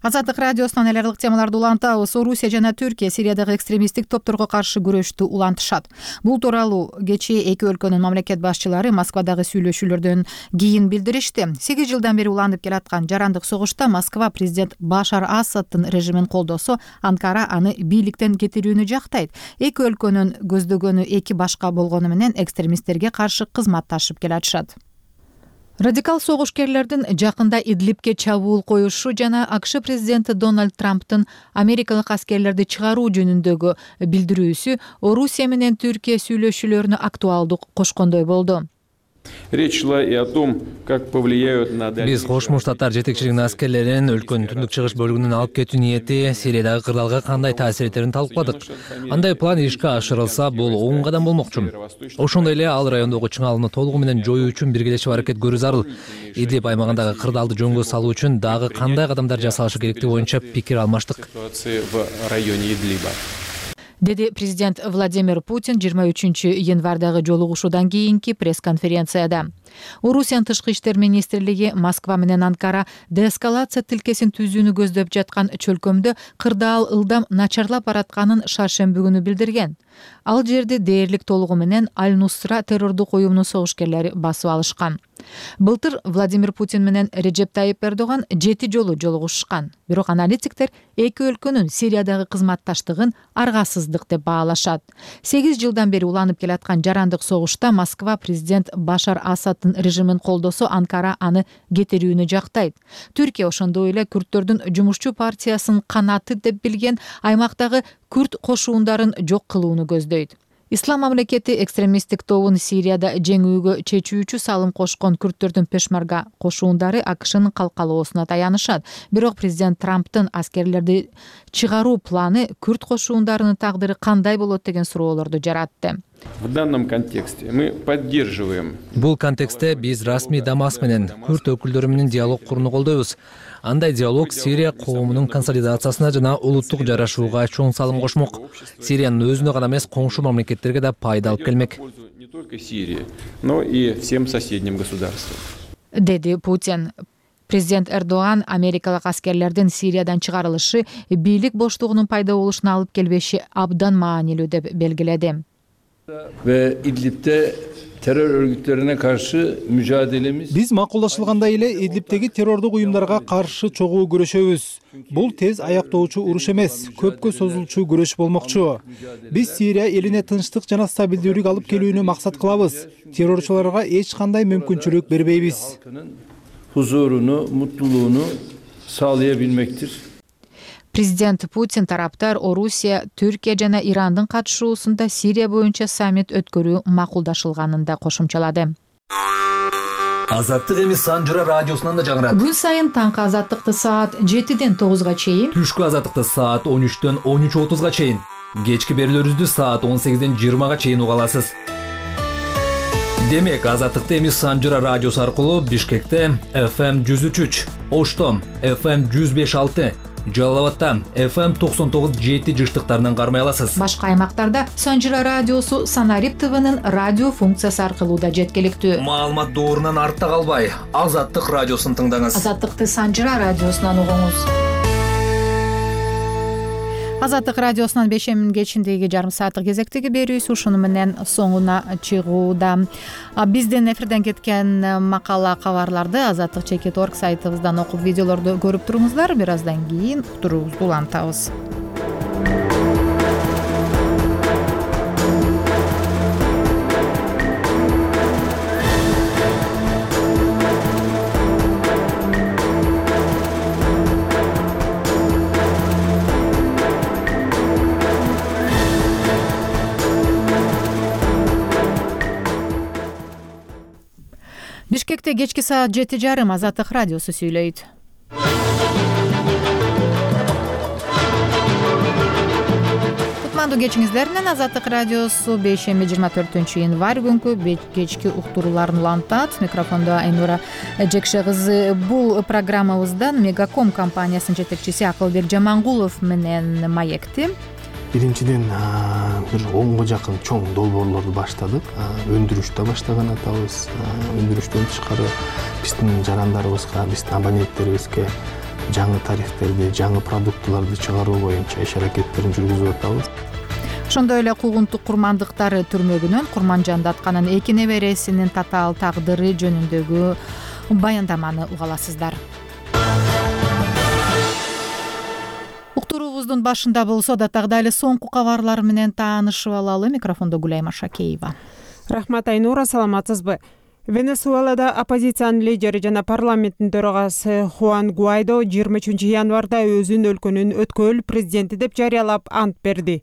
Азаттык радиосунан эл аралык темаларды улантабыз. Орусия жана Түркия Сириядагы экстремисттик топторго каршы күрөштү улантышат. Бул тууралуу кечээ эки өлкөнүн мамлекет башчылары Москвадагы сүйлөшүүлөрдөн кийин билдиришти. сегиз жылдан бери уланып келаткан жарандык согушта Москва президент Башар Асаддын режимин колдосо, Анкара аны бийликтен кетирүүнү жактайт. Эки өлкөнүн көздөгөнү эки башка болгону менен экстремисттерге каршы кызматташып келатышат. Радикал согушкерлердин жакында Идлибке чабуул коюшу жана АКШ президенти Дональд Трамптын америкалык аскерлерди чыгаруу жөнүндөгү билдирүүсү Орусия менен Түркия сүйлөшүүлөрүнө актуалдык кошкондой болду. Речь шла и о том, как повлияют на Биз Кошмо Штаттар жетекчилигинин аскерлерин өлкөнүн түндүк чыгыш бөлүгүнөн алып кетүү ниети Сириядагы кырдаалга кандай таасир этерин талкууладык. Андай план ишке ашырылса, бул оң кадам болмокчу. Ошондой эле ал райондогу чыңалууну толугу менен жоюу үчүн биргелешип аракет көрүү зарыл. Идлиб аймагындагы кырдаалды жөнгө салуу үчүн дагы кандай кадамдар жасалышы керектиги боюнча пикир алмаштык. Деди президент Владимир Путин жыйырма үчүнчү январдагы жолугушуудан кийинки пресс-конференцияда. Орусиянын тышкы иштер министрлиги Москва менен Анкара деэскалация тилкесин түзүүнү көздөп жаткан чөлкөмдө кырдаал ылдам начарлап баратканын шаршемби күнү билдирген. Ал жерди дээрлик толугу менен Аль-Нусра террордук уюмунун согушкерлери басып алышкан. Былтыр Владимир Путин менен Реджеп Тайип Эрдоган жети жолу жолугушкан. Бирок аналитиктер эки өлкөнүн Сириядагы кызматташтыгын аргасыздык деп баалашат. сегиз жылдан бери уланып келаткан жарандык согушта Москва президент Башар Асаддын режимин колдосо, Анкара аны кетирүүнү жактайт. Түркия ошондой эле күрттөрдүн жумушчу партиясынын канаты деп билген аймактагы күрт кошуундарын жок кылууну көздөйт. Ислам мамлекети экстремисттик тобун Сирияда жеңүүгө чечүүчү салым кошкон күрттөрдүн пешмарга кошуундары АКШнын калкалоосуна таянышат. Бирок президент Трамптын аскерлерди чыгаруу планы күрт кошуундарынын тагдыры кандай болот деген суроолорду жаратты. В данном контексте мы поддерживаем. Бул контекстте биз расмий Дамаск менен күрт өкүлдөрү менен диалог курууну колдойбуз. Андай диалог Сирия коомунун консолидациясына жана улуттук жарашууга чоң салым кошмок. Сириянын өзүнө гана эмес, коңшу мамлекеттерге да пайда алып келмек. Не только Сирии, но и всем соседним государствам. Деди Путин. Президент Эрдоган америкалык аскерлердин Сириядан чыгарылышы бийлик боштугунун пайда болушуна алып келбеши абдан маанилүү деп белгиледи. Ve İdlib'de terör örgütlerine karşı mücadelemiz. Биз макулдашылгандай эле Идлибтеги террордук уюмдарга каршы чогуу күрөшөбүз. Бул тез аяктоочу уруш эмес, көпкө созулчу күрөш болмокчу. Биз Сирия элине тынчтык жана стабилдүүлүк алып келүүнү максат кылабыз. Террорчуларга эч кандай мүмкүнчүлүк бербейбиз. Huzurunu, mutluluğunu sağlayabilmektir. Президент Путин тараптар Орусия, Түркия жана Ирандын катышуусунда Сирия боюнча саммит өткөрүү макулдашылганын да кошумчалады. Азаттык эми Санжыра радиосунан да жаңырат. Күн сайын таңкы азаттыкты саат жетиден тогузга чейин, түшкү азаттыкты саат он үчтөн он үч отузга чейин, кечки берүүлөрүбүздү саат он сегизден жыйырмага чейин уга аласыз. Демек, азаттыкты эми Санжыра радиосу аркылуу Бишкекте эф эм жүз үч үч, Ошто эф эм жүз беш алты, Жалал-Абадта эф эм токсон тогуз жети жыштыктарынан кармай аласыз. Башка аймактарда Санжыра радиосу Санарип ТВнын радио функциясы аркылуу да жеткиликтүү. Маалымат доорунан артта калбай, Азаттык радиосун тыңдаңыз. Азаттыкты Санжыра радиосунан угуңуз. Азаттык радиосунан бешемин кечиндеги жарым сааттык кезектеги берүүбүз ушуну менен соңуна чыгууда. Бизден эфирден кеткен макала кабарларды азаттык чекит точка орг сайтыбыздан окуп видеолорду көрүп туруңуздар. Бир аздан кийин уктуруубузду улантабыз. Бишкекте кечки саат жети жарым Азаттык радиосу сүйлөйт. Кутмандуу кечиңиздер менен Азаттык радиосу бейшемби жыйырма төртүнчү январь күнкү кечки уктурууларын улантат. Микрофондо Айнура Эжекше кызы. Бул программабыздан Мегаком компаниясынын жетекчиси Акылбек Жамангулов менен маекти. Биринчиден бир онго жакын чоң долбоорлорду баштадык. Өндүрүштү баштаган атабыз. Өндүрүштөн тышкары биздин жарандарыбызга, биздин абоненттерибизге жаңы тарифтерди, жаңы продуктыларды чыгаруу боюнча иш аракеттерин жүргүзүп атабыз. Ошондой эле куугунтук курмандыктар түрмөгүнөн Курманжан Датканын эки небересинин татаал тагдыры жөнүндөгү баяндаманы уга аласыздар. Уктуруубуздун башында болсо да тагдайлы соңку кабарлар менен таанышып алалы. Микрофондо Гулайма Шакеева. Рахмат, Айнура, саламатсызбы? Венесуэлада оппозициянын лидери жана парламенттин төрагасы Хуан Гуайдо жыйырма үчүнчү январда өзүн өлкөнүн өткөл президенти деп жарыялап ант берди.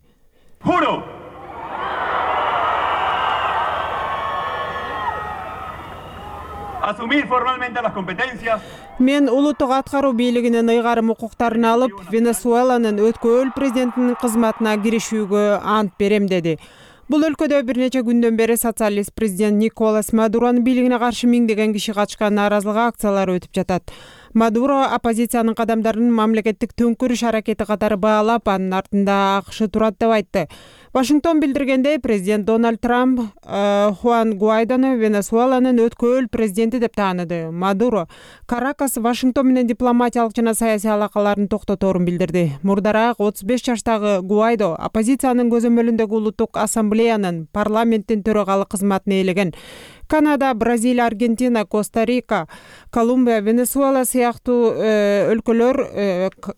Мен улуттук аткаруу бийлигинин ыйгарым укуктарын алып, Венесуэланын өткөл президентинин кызматына киришүүгө ант берем деди. Бул өлкөдө бир нече күндөн бери социалист президент Николас Мадуронун бийлигине каршы миңдеген киши катышкан нааразылык акциялары өтүп жатат. Мадуро оппозициянын кадамдарын мамлекеттик төңкүрүш аракети катары баалап, анын артында АКШ турат деп айтты. Вашингтон билдиргендей, президент Дональд Трамп Хуан Гуайдону Венесуэланын өткөл президенти деп тааныды. Мадуро Каракас Вашингтон менен дипломатиялык жана саясий алакаларын токтоторун билдирди. Мурдараак отуз беш жаштагы Гуайдо оппозициянын көзөмөлүндөгү улуттук ассамблеянын парламенттин төрагалык кызматын ээлеген. Канада, Бразилия, Аргентина, Коста-Рика, Колумбия, Венесуэла сыяктуу өлкөлөр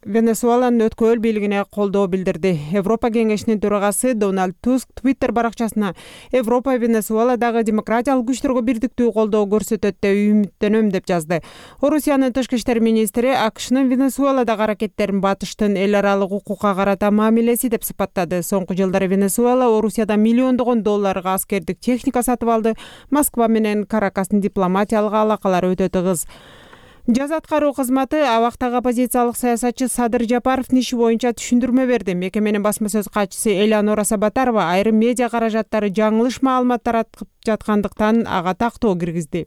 Венесуэланын өткөл бийлигине колдоо билдирди. Европа кеңешинин төрагасы Дональд Туск Твиттер баракчасына Европа Венесуэладагы демократиялык күчтөргө бирдиктүү колдоо көрсөтөт деп үмүттөнөм деп жазды. Орусиянын тышкы иштер министри АКШнын Венесуэладагы аракеттерин батыштын эл аралык укукка карата мамилеси деп сыпаттады. Соңку жылдары Венесуэла Орусиядан миллиондогон долларга аскердик техника сатып алды. Москва менен Каракастын дипломатиялык алакалары өтө тыгыз. Жаз аткаруу кызматы абактагы оппозициялык саясатчы Садыр Жапаровдун иши боюнча түшүндүрмө берди. Мекеменин басма сөз катчысы Элеонора Сабатарова айрым медиа каражаттары жаңылыш маалымат таратып жаткандыктан ага тактоо киргизди.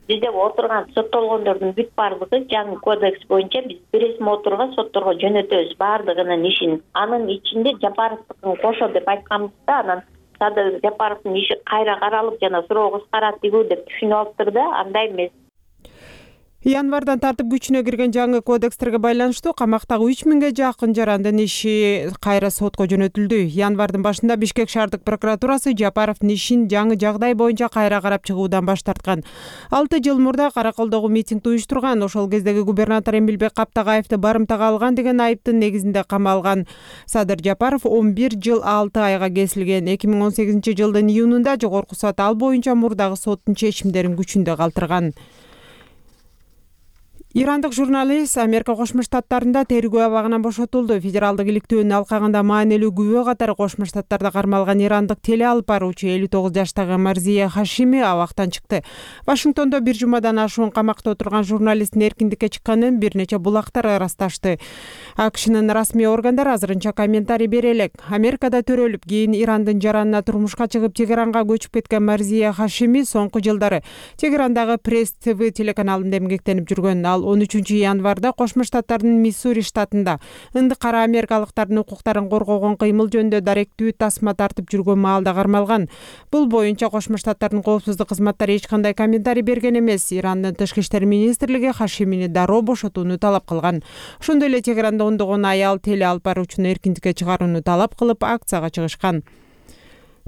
Бизде отурган соттолгондордун бүт бардыгы жаңы кодекс боюнча биз биресме отурга сотторго жөнөтөбүз бардыгынын ишин. Анын ичинде Жапаровдукун кошо деп айтканбызда, анан Садыр Жапаровдун иши кайра каралып жана суроо кыскарат дегүү деп түшүнүп алыптыр да, андай эмес. Январдан тартып күчүнө кирген жаңы кодекстерге байланыштуу камактагы үч миңге жакын жарандын иши кайра сотко жөнөтүлдү. Январдын башында Бишкек шаардык прокуратурасы Жапаровдун ишин жаңы жагдай боюнча кайра карап чыгуудан баш тарткан. алты жыл мурда Караколдогу митингди уюштурган, ошол кездеги губернатор Эмилбек Каптагаевди барымтага алган деген айыптын негизинде камалган. Садыр Жапаров он бир жыл алты айга кесилген. эки миң он сегизинчи жылдын июнунда жогорку сот ал боюнча мурдагы соттун чечимдерин күчүндө калтырган. Ирандык журналист Америка Кошмо Штаттарында тергөө абагынан бошотулду. Федералдык иликтөөнүн алкагында маанилүү күбө катары Кошмо Штаттарда кармалган ирандык теле алып баруучу элүү тогуз жаштагы Марзия Хашими абактан чыкты. Вашингтондо бир жумадан ашуун камакта отурган журналисттин эркиндикке чыкканын бир нече булактар ырасташты. АКШнын расмий органдары азырынча комментарий бере элек. Америкада төрөлүп, кийин Ирандын жаранына турмушка чыгып Тегеранга көчүп кеткен Марзия Хашими соңку жылдары Тегерандагы Пресс ТВ телеканалында эмгектенип жүргөн. Ал Ал он үчүнчү январда Кошмо Штаттардын Миссури штатында ынды кара америкалыктардын укуктарын коргогон кыймыл жөнүндө даректүү тасма тартып жүргөн маалда кармалган. Бул боюнча Кошмо Штаттардын коопсуздук кызматтары эч кандай комментарий берген эмес. Ирандын тышкы иштер министрлиги Хашимини дароо бошотууну талап кылган. Ошондой эле Тегеранда ондогон аял теле алып баруучуну эркиндикке чыгарууну талап кылып акцияга чыгышкан.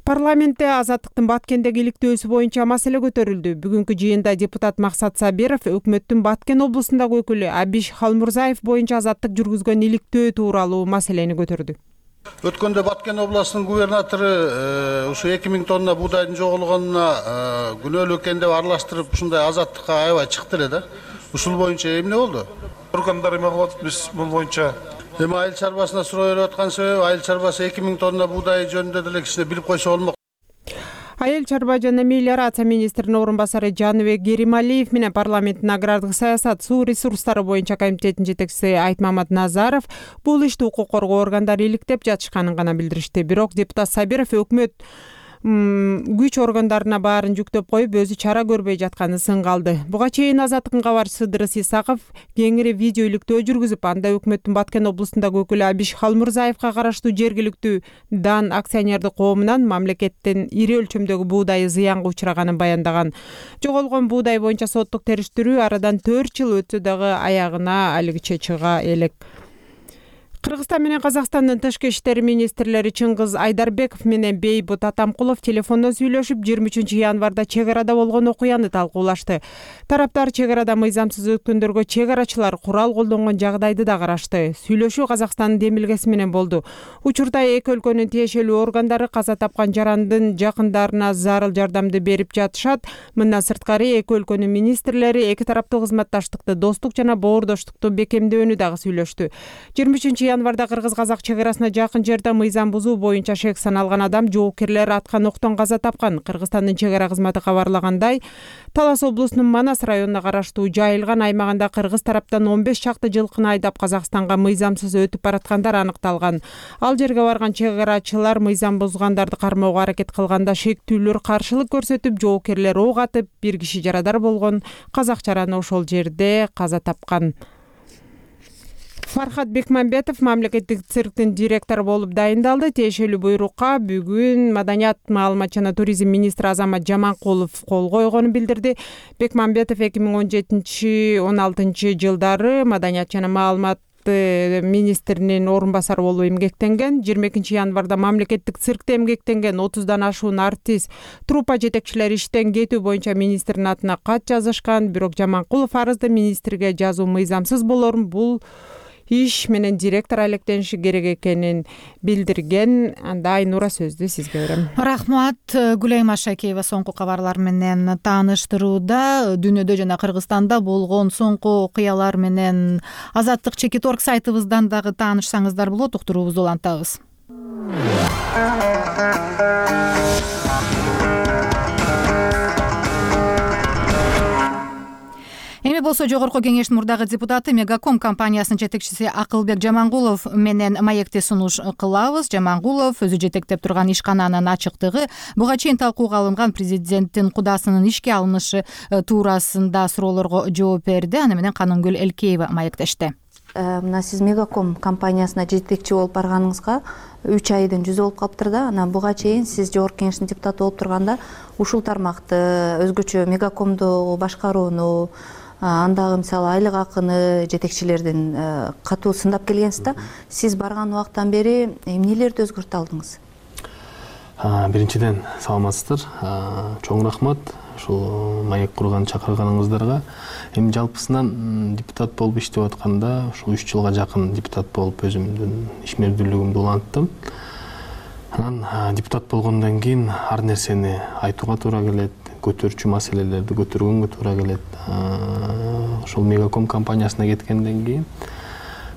Парламентте азаттыктын Баткендеги иликтөөсү боюнча маселе көтөрүлдү. Бүгүнкү жыйында депутат Максат Сабиров өкмөттүн Баткен облусундагы өкүлү Абиш Халмурзаев боюнча азаттык жүргүзгөн иликтөө тууралуу маселени көтөрдү. Өткөндө Баткен областынын губернатору ушу эки миң тонна буудайдын жоголгонуна күнөөлүү экен деп аралаштырып ушундай азаттыкка аябай чыкты эле да. Ушул боюнча эмне болду? Органдар эме кылып атат, биз бул боюнча эми айыл чарбасына суроо берип аткан себеби айыл чарбасы эки миң тонна буудай жөнүндө деле кичине билип койсо болмок. Айыл чарба жана мелиорация министринин орун басары Жаныбек Керималиев менен парламенттин агрардык саясат, суу ресурстары боюнча комитетинин жетекчиси Айтмамат Назаров бул ишти укук коргоо органдары иликтеп жатышканын гана билдиришти. Бирок депутат Сабиров өкмөт күч органдарына баарын жүктөп коюп, өзү чара көрбөй жатканын сынга алды. Буга чейин Азаттыктын кабарчысы Дырыс Исаков кеңири видео иликтөө жүргүзүп, анда өкмөттүн Баткен облусундагы өкүлү Абиш Халмурзаевка караштуу жергиликтүү Дан акционердик коомунан мамлекеттин ири өлчөмдөгү буудайы зыянга учраганын баяндаган. Жоголгон буудай боюнча соттук териштирүү арадан төрт жыл өтсө дагы аягына алигиче чыга элек. Кыргызстан менен Казакстандын тышкы иштер министрлери Чыңгыз Айдарбеков менен Бейбут Атамкулов телефондон сүйлөшүп, жыйырма үчүнчү январда чек арада болгон окуяны талкуулашты. Тараптар чек арада мыйзамсыз өткөндөргө чек арачылар курал колдонгон жагдайды да карашты. Сүйлөшүү Казакстандын демилгеси менен болду. Учурда эки өлкөнүн тиешелүү органдары каза тапкан жарандын жакындарына зарыл жардамды берип жатышат. Мындан сырткары эки өлкөнүн министрлери эки тараптуу кызматташтыкты, достук жана боордоштукту бекемдөөнү дагы сүйлөштү. жыйырма үчүнчү январда кыргыз-казак чек арасына жакын жерде мыйзам бузуу боюнча шек саналган адам жоопкерлер аткан октон каза тапкан. Кыргызстандын чек ара кызматы кабарлагандай, Талас облусунун Манас районуна караштуу Жайылган аймагында кыргыз тараптан он беш чакты жылкыны айдап Казакстанга мыйзамсыз өтүп бараткандар аныкталган. Ал жерге барган чек арачылар мыйзам бузгандарды кармоого аракет кылганда шектүүлөр каршылык көрсөтүп, жоопкерлер ок атып, бир киши жарадар болгон. Казак жараны ошол жерде каза тапкан. Фархат Бекмамбетов мамлекеттик цирктин директору болуп дайындалды. Тиешелүү буйрукка бүгүн Маданият, маалымат жана туризм министри Азамат Жаманкулов кол койгонун билдирди. Бекмамбетов эки миң он жетинчи он алтынчы жылдары Маданият жана маалымат министринин орун басары болуп эмгектенген. жыйырма экинчи январда мамлекеттик циркте эмгектенген отуздан ашуун артист, труппа жетекчилери иштен кетүү боюнча министрдин атына кат жазышкан. Бирок Жаманкулов арызды министрге жазуу мыйзамсыз болорун, бул иш менен директор алектениши керек экенин билдирген. Анда Айнура сөздү сизге берем. Рахмат. Гүлайма Шакеева соңку кабарлар менен тааныштырууда. Дүйнөдө жана Кыргызстанда болгон соңку окуялар менен Азаттык чекит точка орг сайтыбыздан дагы таанышсаңыздар болот. Уктуруубузду улантабыз. Эми болсо жогорку кеңештин мурдагы депутаты Мегаком компаниясынын жетекчиси Акылбек Жамангулов менен маекте сунуш кылабыз. Жамангулов өзү жетектеп турган ишкананын ачыктыгы, буга чейин талкууга алынган президенттин кудасынын ишке алынышы туурасында суроолорго жооп берди. Аны менен Канунгүл Элкеева маектешти. Мына сиз Мегаком компаниясына жетекчи болуп барганыңызга үч айдын жүзү болуп калыптыр да. Анан буга чейин сиз жогорку кеңештин депутаты болуп турганда ушул тармакты өзгөчө Мегакомду башкарууну, андагы мисалы айлык акыны жетекчилердин катуу сындап келгенсиз да. Сиз барган убактан бери эмнелерди өзгөртө алдыңыз? Биринчиден саламатсыздар. Чоң рахмат ушул маек курган чакырганыңыздарга. Эми жалпысынан депутат болуп иштеп атканда ушул үч жылга жакын депутат болуп өзүмдүн ишмердүүлүгүмдү уланттым. Анан депутат болгондон кийин ар нерсени айтууга туура келет, көтөрчү маселелерди көтөргөнгө туура келет. Ошол Мегаком компаниясына кеткенден кийин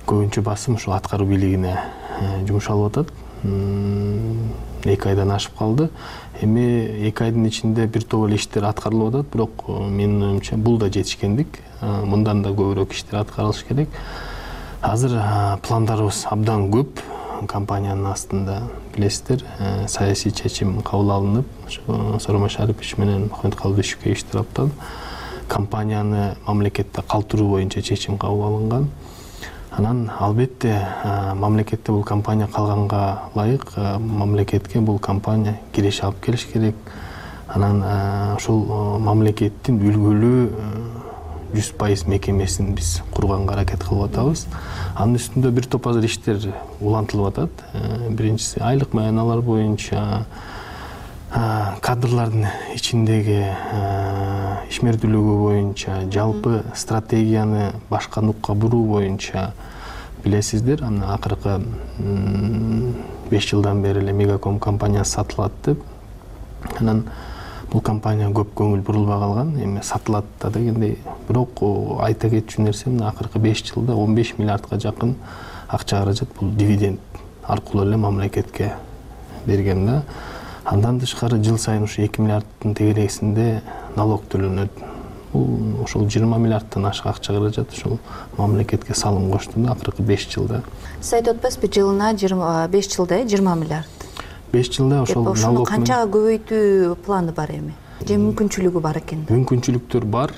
көбүнчө басым ушул аткаруу бийлигине жумшалып атат. эки айдан ашып калды. Эми эки айдын ичинде бир топ эле иштер аткарылып атат, бирок менин оюмча бул да жетишкендик. Мындан да көбүрөөк иштер аткарылыш керек. Азыр пландарыбыз абдан көп. Компаниянын астында билесиздер, саясий чечим кабыл алынып, Сооронбай Шарипович менен Мухаммед Калыбешевге иш тараптан компанияны мамлекетте калтыруу боюнча чечим кабыл алынган. Анан албетте мамлекетте бул компания калганга ылайык мамлекетке бул компания киреше алып келиш керек. Анан ошол мамлекеттин үлгүлүү жүз пайыз мекемесин биз курганга аракет кылып атабыз. Анын үстүндө бир топ азыр иштер улантылып атат. Биринчиси айлык маяналар боюнча, кадрлардын ичиндеги ишмердүүлүгү боюнча, жалпы стратегияны башка нукка буруу боюнча билесиздер. Анан акыркы беш жылдан бери эле Мегаком компаниясы сатылат деп. Анан бул компания көп көңүл бурулбай калган. Эми сатылат дегендей. Бирок айта кетчү нерсе мына акыркы беш жылда он беш миллиардка жакын акча каражат бул дивиденд аркылуу эле мамлекетке берген да. Андан тышкары жыл сайын ушу эки миллиардтын тегересинде налог төлөнөт. Бул ошол жыйырма миллиардтан ашык акча каражат ошол мамлекетке салым кошту да акыркы беш жылда. Сиз айтып атпайсызбы, жылына беш жылда жыйырма миллиард. беш жылда ошол налог. Ошону канчага көбөйтүү планы бар эми? Же мүмкүнчүлүгү бар экен? Мүмкүнчүлүктөр бар,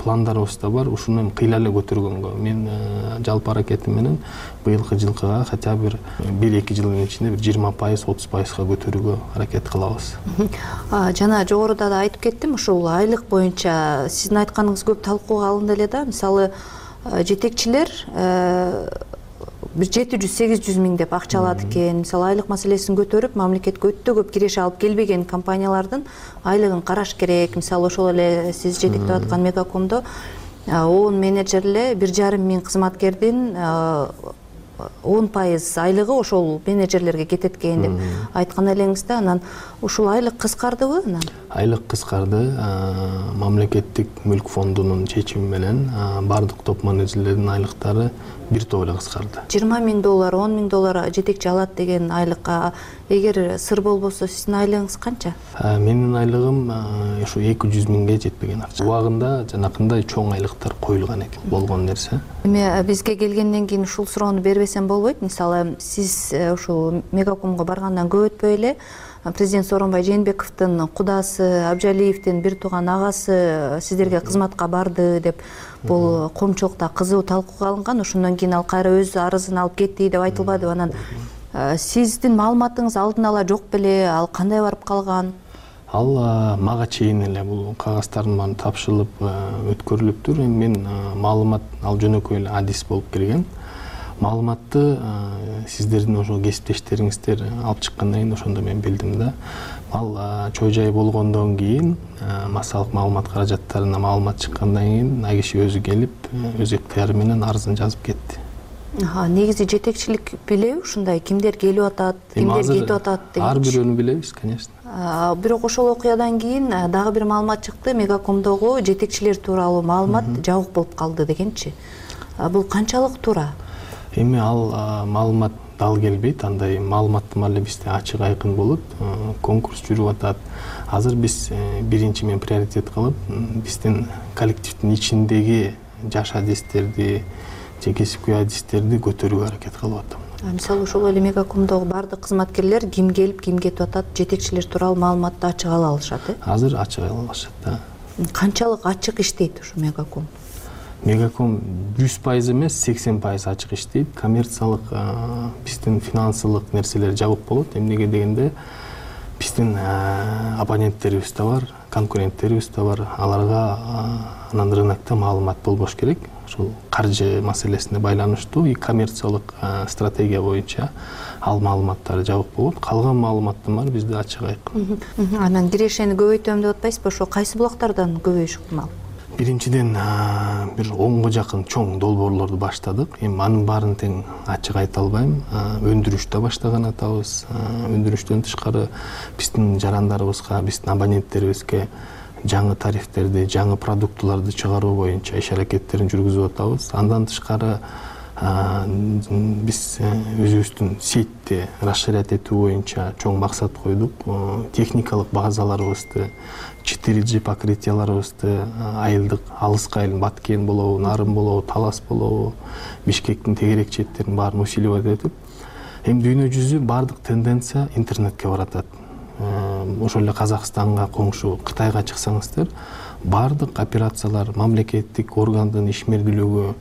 пландарыбыз да бар. Ушуну эми кыйла эле көтөргөнгө. Мен жалпы аракетим менен быйылкы жылкыга хотя бир бир эки жылдын ичинде бир жыйырма пайыз, отуз пайызга көтөрүүгө аракет кылабыз. Жана жогоруда да айтып кеттим, ушул айлык боюнча сиздин айтканыңыз көп талкууга алынды эле да. Мисалы, жетекчилер бир жети жүз сегиз жүз миң деп акча алат экен. Мисалы, айлык маселесин көтөрүп, мамлекетке өтө көп киреше алып келбеген компаниялардын айлыгын караш керек. Мисалы, ошол эле сиз жетектеп аткан Мегакомдо он менеджер эле бир жарым миң кызматкердин он пайыз айлыгы ошол менеджерлерге кетет экен деп айткан элеңиз да. Анан ушул айлык кыскардыбы? Анан айлык кыскарды. Мамлекеттик мүлк фондунун чечими менен бардык топ менеджерлердин айлыктары бир топ эле кыскарды. жыйырма миң доллар, он миң доллар жетекчи алат деген айлыкка эгер сыр болбосо сиздин айлыгыңыз канча? Менин айлыгым ушу эки жүз миңге жетпеген акча. Убагында жанакындай чоң айлыктар коюлган экен, болгон нерсе. Эми бизге келгенден кийин ушул суроону бербесем болбойт. Мисалы, сиз ушул Мегакомго баргандан көп өтпөй эле президент Сооронбай Жээнбековдун кудасы, Абжалиевдин бир тууган агасы сиздерге кызматка барды деп бул коомчулукта кызуу талкууга алынган. Ошондон кийин ал кайра өз арызын алып кетти деп айтылбадыбы? Анан сиздин маалыматыңыз алдын ала жок беле? Ал кандай барып калган? Ал мага чейин эле бул кагаздардын баары тапшырылып өткөрүлүптүр. Эми мен маалымат ал жөнөкөй эле адис болуп келген. Маалыматты сиздердин ошо кесиптештериңиздер алып чыккандан кийин ошондо мен билдим да. Ал чой жай болгондон кийин массалык маалымат каражаттарына маалымат чыккандан кийин ал киши өзү келип, өз ыктыяры менен арызын жазып кетти. Негизи жетекчилик билеби ушундай кимдер келип атат, кимдер кетип атат деген? Ар бирөөнү билебиз, конечно. Бирок ошол окуядан кийин дагы бир маалымат чыкты, Мегакомдогу жетекчилер тууралуу маалымат жабык болуп калды дегенчи. Бул канчалык туура? Эми ал маалымат дал келбейт, андай маалыматтар эле бизде ачык айкын болот. Конкурс жүрүп атат. Азыр биз биринчи мен приоритет кылып, биздин коллективдин ичиндеги жаш адистерди, же кесипкөй адистерди көтөрүүгө аракет кылып атам. Мисалы, ошол эле Мегакомдогу бардык кызматкерлер ким келип, ким кетип атат, жетекчилер тууралуу маалыматты ачык ала алышат, э? Азыр ачык ала алышат да. Канчалык ачык иштейт ушу Мегаком? Мегаком жүз пайыз эмес, сексен пайыз ачык иштейт. Коммерциялык, биздин финансылык нерселер жабык болот. Эмнеге дегенде, биздин абоненттерибиз да бар, конкуренттерибиз да бар. Аларга анан рынокто маалымат болбош керек. Ошол каржы маселесине байланыштуу и коммерциялык стратегия боюнча ал маалыматтар жабык болот. Калган маалыматтар бар бизде ачык айкын. Анан кирешени көбөйтөм деп атпайсызбы? Ошо кайсы булактардан көбөйүш ыктымал? Биринчиден бир онго жакын чоң долбоорлорду баштадык. Эми анын баарын тең ачык айта албайм. Өндүрүштө баштаган атабыз. Өндүрүштөн тышкары биздин жарандарыбызга, биздин абоненттерибизге жаңы тарифтерди, жаңы продуктуларды чыгаруу боюнча иш аракеттерин жүргүзүп атабыз. Андан тышкары биз өзүбүздүн сетти расширять этүү боюнча чоң максат койдук. Техникалык базаларыбызды, четыре джи покрытияларыбызды айылдык, алыска айыл, Баткен болобу, Нарын болобу, Талас болобу, Бишкектин тегерек четтерин баарын усиливать этип, эми дүйнө жүзү бардык тенденция интернетке баратат. Ошол эле Казакстанга, коңшу Кытайга чыксаңыздар, баардык операциялар мамлекеттик органдын ишмердүүлүгү,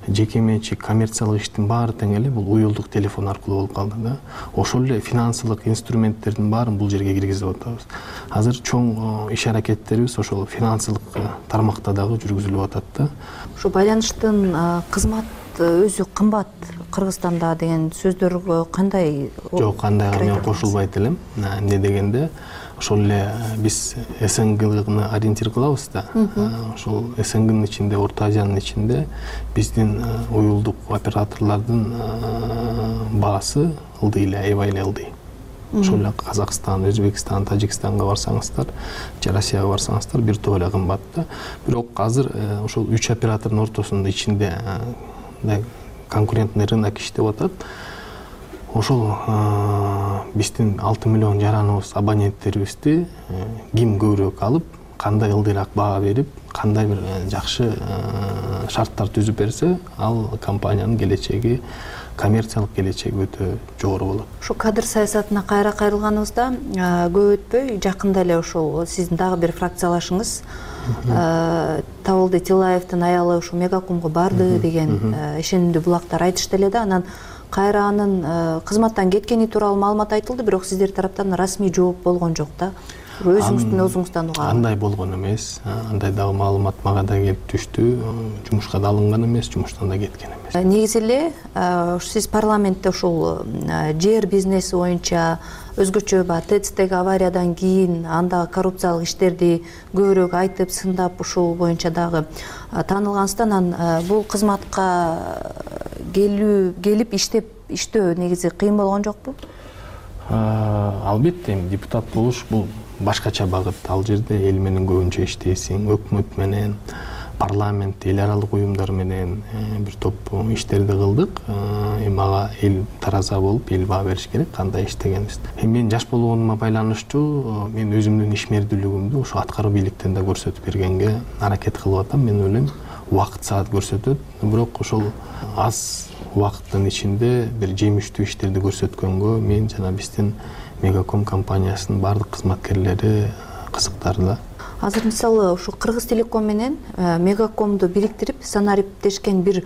жеке менчик коммерциялык иштин баары тең эле бул уюлдук телефон аркылуу болуп калды да. Ошол эле финансылык инструменттердин баарын бул жерге киргизип атабыз. Азыр чоң иш аракеттерибиз ошол финансылык тармакта дагы жүргүзүлүп атат да. Ушу байланыштын кызмат өзү кымбат Кыргызстанда деген сөздөргө кандай? Жок, кандайга мен кошулбайт элем. Эмне дегенде ошол эле биз СНГны ориентир кылабыз да. Ошол СНГнын ичинде, Орто Азиянын ичинде биздин уюлдук операторлордун баасы ылдый эле, аябай эле ылдый. Ошол эле Казакстан, Өзбекстан, Тажикстанга барсаңыздар, же Россияга барсаңыздар бир топ эле кымбат да. Бирок азыр ошол үч оператордун ортосунда ичинде конкурентный рынок иштеп атат. Ошол биздин алты миллион жараныбыз, абоненттерибизди ким көбүрөөк алып, кандай ылдыйраак баа берип, кандай бир жакшы шарттар түзүп берсе, ал компаниянын келечеги, коммерциялык келечеги өтө жогору болот. Ушу кадр саясатына кайра кайрылганыбызда көп өтпөй жакында эле ошол сиздин дагы бир фракциялашыңыз Табылды Тилаевдин аялы ушу Мегакомго барды деген ишенимдүү булактар айтышты эле да. Анан кайра анын кызматтан кеткени тууралуу маалымат айтылды, бирок сиздер тараптан расмий жооп болгон жок да. Өзүңүздүн өзүңүздөн угам. Андай болгон эмес. Андай дагы маалымат мага да келип түштү. Жумушка да алынган эмес, жумуштан да кеткен эмес. Негизи эле сиз парламентте ушул жер бизнеси боюнча өзгөчө баягы ТЭЦтеги авариядан кийин андагы коррупциялык иштерди көбүрөөк айтып, сындап ушул боюнча дагы таанылгансыздар. Анан бул кызматка келүү, келип иштеп иштөө негизи кыйын болгон жокпу? Албетте, депутат болуш бул башкача багыт. Ал жерде эл менен көбүнчө иштейсиң, өкмөт менен, парламент, эл аралык уюмдар менен бир топ иштерди кылдык. Эми ага эл тараза болуп, эл баа бериш керек, кандай иштегенибизди. Эми мен жаш болгонума байланыштуу мен өзүмдүн ишмердүүлүгүмдү ошо аткаруу бийликтен да көрсөтүп бергенге аракет кылып атам. Мен ойлойм, убакыт саат көрсөтөт, бирок ошол аз убакыттын ичинде бир жемиштүү иштерди көрсөткөнгө мен жана биздин Мегаком компаниясынын бардык кызматкерлери кызыктар да. Азыр мисалы ушу Кыргыз Телеком менен Мегакомду бириктирип санариптешкен бир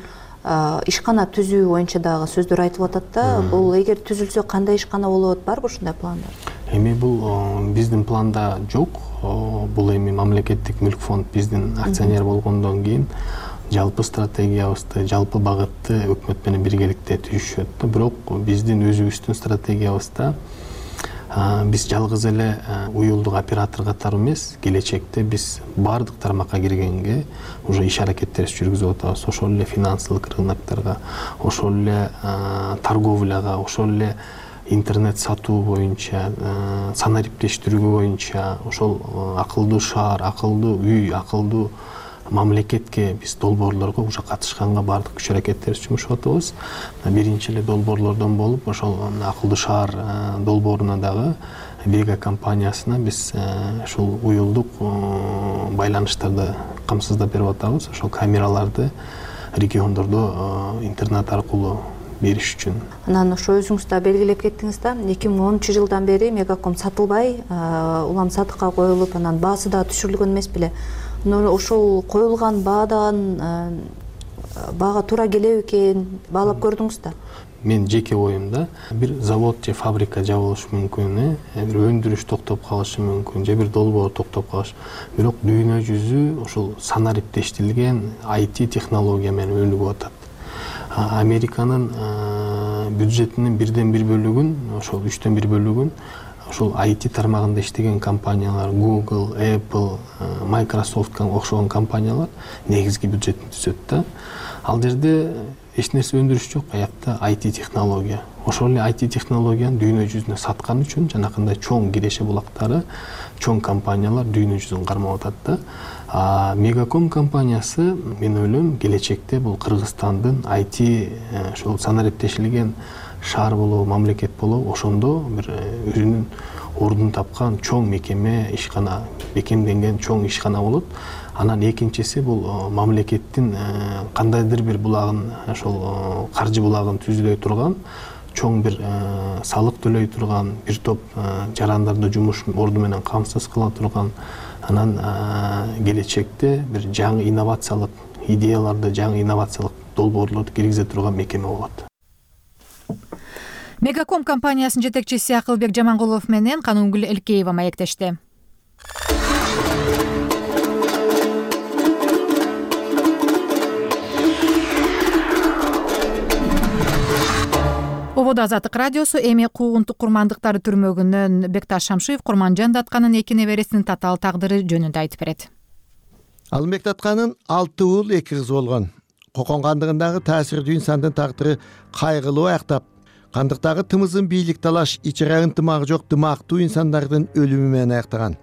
ишкана түзүү боюнча дагы сөздөр айтылып атат да. Бул эгер түзүлсө кандай ишкана болот, барбы ушундай пландар? Эми бул биздин планда жок. Бул эми мамлекеттик мүлк фонд биздин акционер болгондон кийин жалпы стратегиябызды, жалпы багытты өкмөт менен биргеликте түзүшөт. Бирок биздин өзүбүздүн стратегиябызда биз жалгыз эле уюлдук оператор катары эмес, келечекте биз бардык тармакка киргенге уже иш аракеттерибиз жүргүзүп атабыз. Ошол эле финансылык рынокторго, ошол эле торговляга, ошол эле интернет сатуу боюнча, санариптештирүү боюнча, ошол акылдуу шаар, акылдуу үй, акылдуу мамлекетке биз долбоорлорго уже катышканга бардык күч аракеттерибиз жумшап атабыз. Биринчи эле долбоорлордон болуп, ошол акылдуу шаар долбооруна дагы Вега компаниясына биз ушул уюлдук байланыштарды камсыздап берип атабыз. Ошол камераларды региондордо интернет аркылуу бериш үчүн. Анан ошо өзүңүз да белгилеп кеттиңиз да, эки миң онунчу жылдан бери Мегаком сатылбай, улам сатыкка коюлуп, анан баасы да түшүрүлгөн эмес беле. Ошол коюлган баадан баага туура келеби экен, баалап көрдүңүз да? Мен жеке оюмда бир завод же фабрика жабылышы мүмкүн, бир өндүрүш токтоп калышы мүмкүн, же бир долбоор токтоп калышы. Бирок дүйнө жүзү ошол санариптештирилген ай ти технология менен өнүгүп атат. Американын бюджетинин бирден бир бөлүгүн, ошол үчтөн бир бөлүгүн ошол ай ти тармагында иштеген компаниялар, Google, Apple, Microsoft окшогон компаниялар негизги бюджетин түзөт да. Ал жерде эч нерсе өндүрүш жок, аякта ай ти технология. Ошол эле ай ти технологияны дүйнө жүзүнө саткан үчүн жанакындай чоң киреше булактары, чоң компаниялар дүйнө жүзүн кармап атат да. А Мегаком компаниясы, мен ойлойм, келечекте бул Кыргызстандын ай ти ошол санариптешилген шаар болобу, мамлекет болобу, ошондо бир өзүнүн ордун тапкан чоң мекеме, ишкана, бекемденген чоң ишкана болот. Анан экинчиси бул мамлекеттин кандайдыр бир булагын, ошол каржы булагын түздөй турган, чоң бир салык төлөй турган, бир топ жарандарды жумуш орду менен камсыз кыла турган анан келечекте бир жаңы инновациялык идеяларды, жаңы инновациялык долбоорлорду киргизе турган мекеме болот. Мегаком компаниясынын жетекчиси Акылбек Жамангулов менен Канунгүл Элкеева маектешти. Ободо Азаттык радиосу эми куугунтук курмандыктары түрмөгүнөн Бекташ Шамшиев Курманжан Датканын эки небересинин татаал тагдыры жөнүндө айтып берет. Алымбек Датканын алты уул эки кызы болгон. Кокон кандыгындагы таасирдүү инсандын тагдыры кайгылуу аяктап, кандыктагы тымызын бийлик талаш, ичере ынтымагы жок дымактуу инсандардын өлүмү менен аяктаган.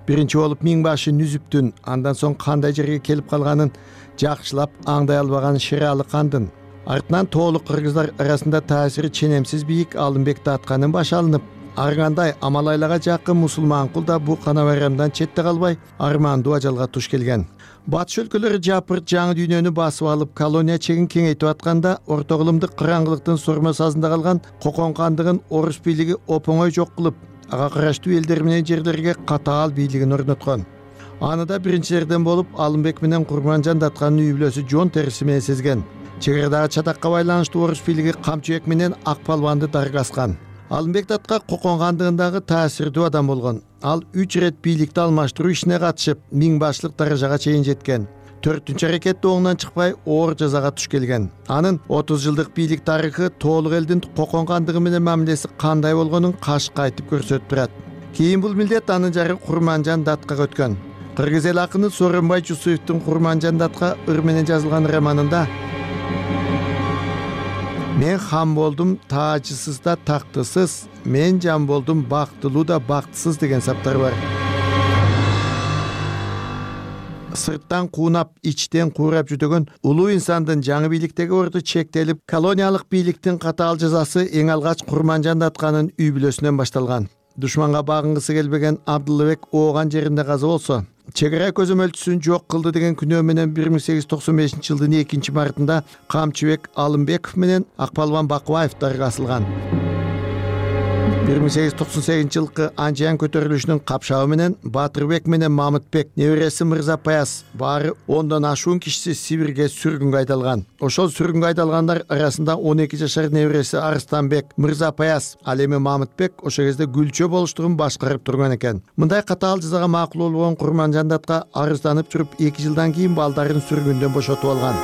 Биринчи болуп миң башы Нүзүптүн, андан соң кандай жерге келип калганын жакшылап аңдай албаган Шералы кандын, артынан тоолук кыргыздар арасында таасири ченемсиз бийик Алымбек Датканын башы алынып, ар кандай Амалайлага жакын мусулман кул да бу кана байрамдан четте калбай армандуу ажалга туш келген. Батыш өлкөлөрү жапырт жаңы дүйнөнү басып алып, колония чегин кеңейтип атканда, орто кылымдык караңгылыктын сормо сазында калган Кокон кандыгын орус бийлиги опоңой жок кылып, ага караштуу элдер менен жерлерге катаал бийлигин орноткон. Аны да биринчилерден болуп Алымбек менен Курманжан Датканын үй бүлөсү жон териси менен сезген. Чегирадагы чатакка байланыштуу орус бийлиги Камчыбек менен Ак Палбанды даргаскан. Алымбек Датка Кокон кандыгындагы таасирдүү адам болгон. Ал үч ирет бийликти алмаштыруу ишине катышып, миң башлык даражага чейин жеткен. Төртүнчү аракетте оңунан чыкпай, оор жазага туш келген. Анын отуз жылдык бийлик тарыхы тоолук элдин Кокон кандыгы менен мамилеси кандай болгонун кашка айтып көрсөтүп турат. Кийин бул милдет анын жары Курманжан Даткага өткөн. Кыргыз эл акыны Сооронбай Жусуевдин Курманжан Датка ыр менен жазылган романында мен хан болдум таажысыз да тактысыз, мен жан болдум бактылуу да бактысыз деген саптар бар. Сырттан куунап, ичтен куурап жүдөгөн улуу инсандын жаңы бийликтеги орду чектелип, колониялык бийликтин катаал жазасы эң алгач Курманжан Датканын үй бүлөсүнөн башталган. Душманга багынгысы келбеген Абдылбек ооган жеринде каза болсо, чегара көзөмөлчүсүн жок кылды деген күнөө менен бир миң сегиз жүз токсон бешинчи жылдын экинчи мартында Камчыбек Алымбеков менен Акпалбан Бакыбаев даргасылган. бир миң сегиз жүз токсон сегизинчи жылкы Анжиян көтөрүлүшүнүн капшабы менен Батырбек менен Мамытбек, небереси Мырза Паяз, баары ондон ашуун кишиси Сибирге сүргүнгө айдалган. Ошол сүргүнгө айдалгандар арасында он эки жашар небереси Арстанбек, Мырза Паяз, ал эми Мамытбек ошол кезде Гүлчө болуштугун башкарып турган экен. Мындай катаал жазага макул болгон Курманжан Датка арызданып жүрүп эки жылдан кийин балдарын сүргүндөн бошотуп алган.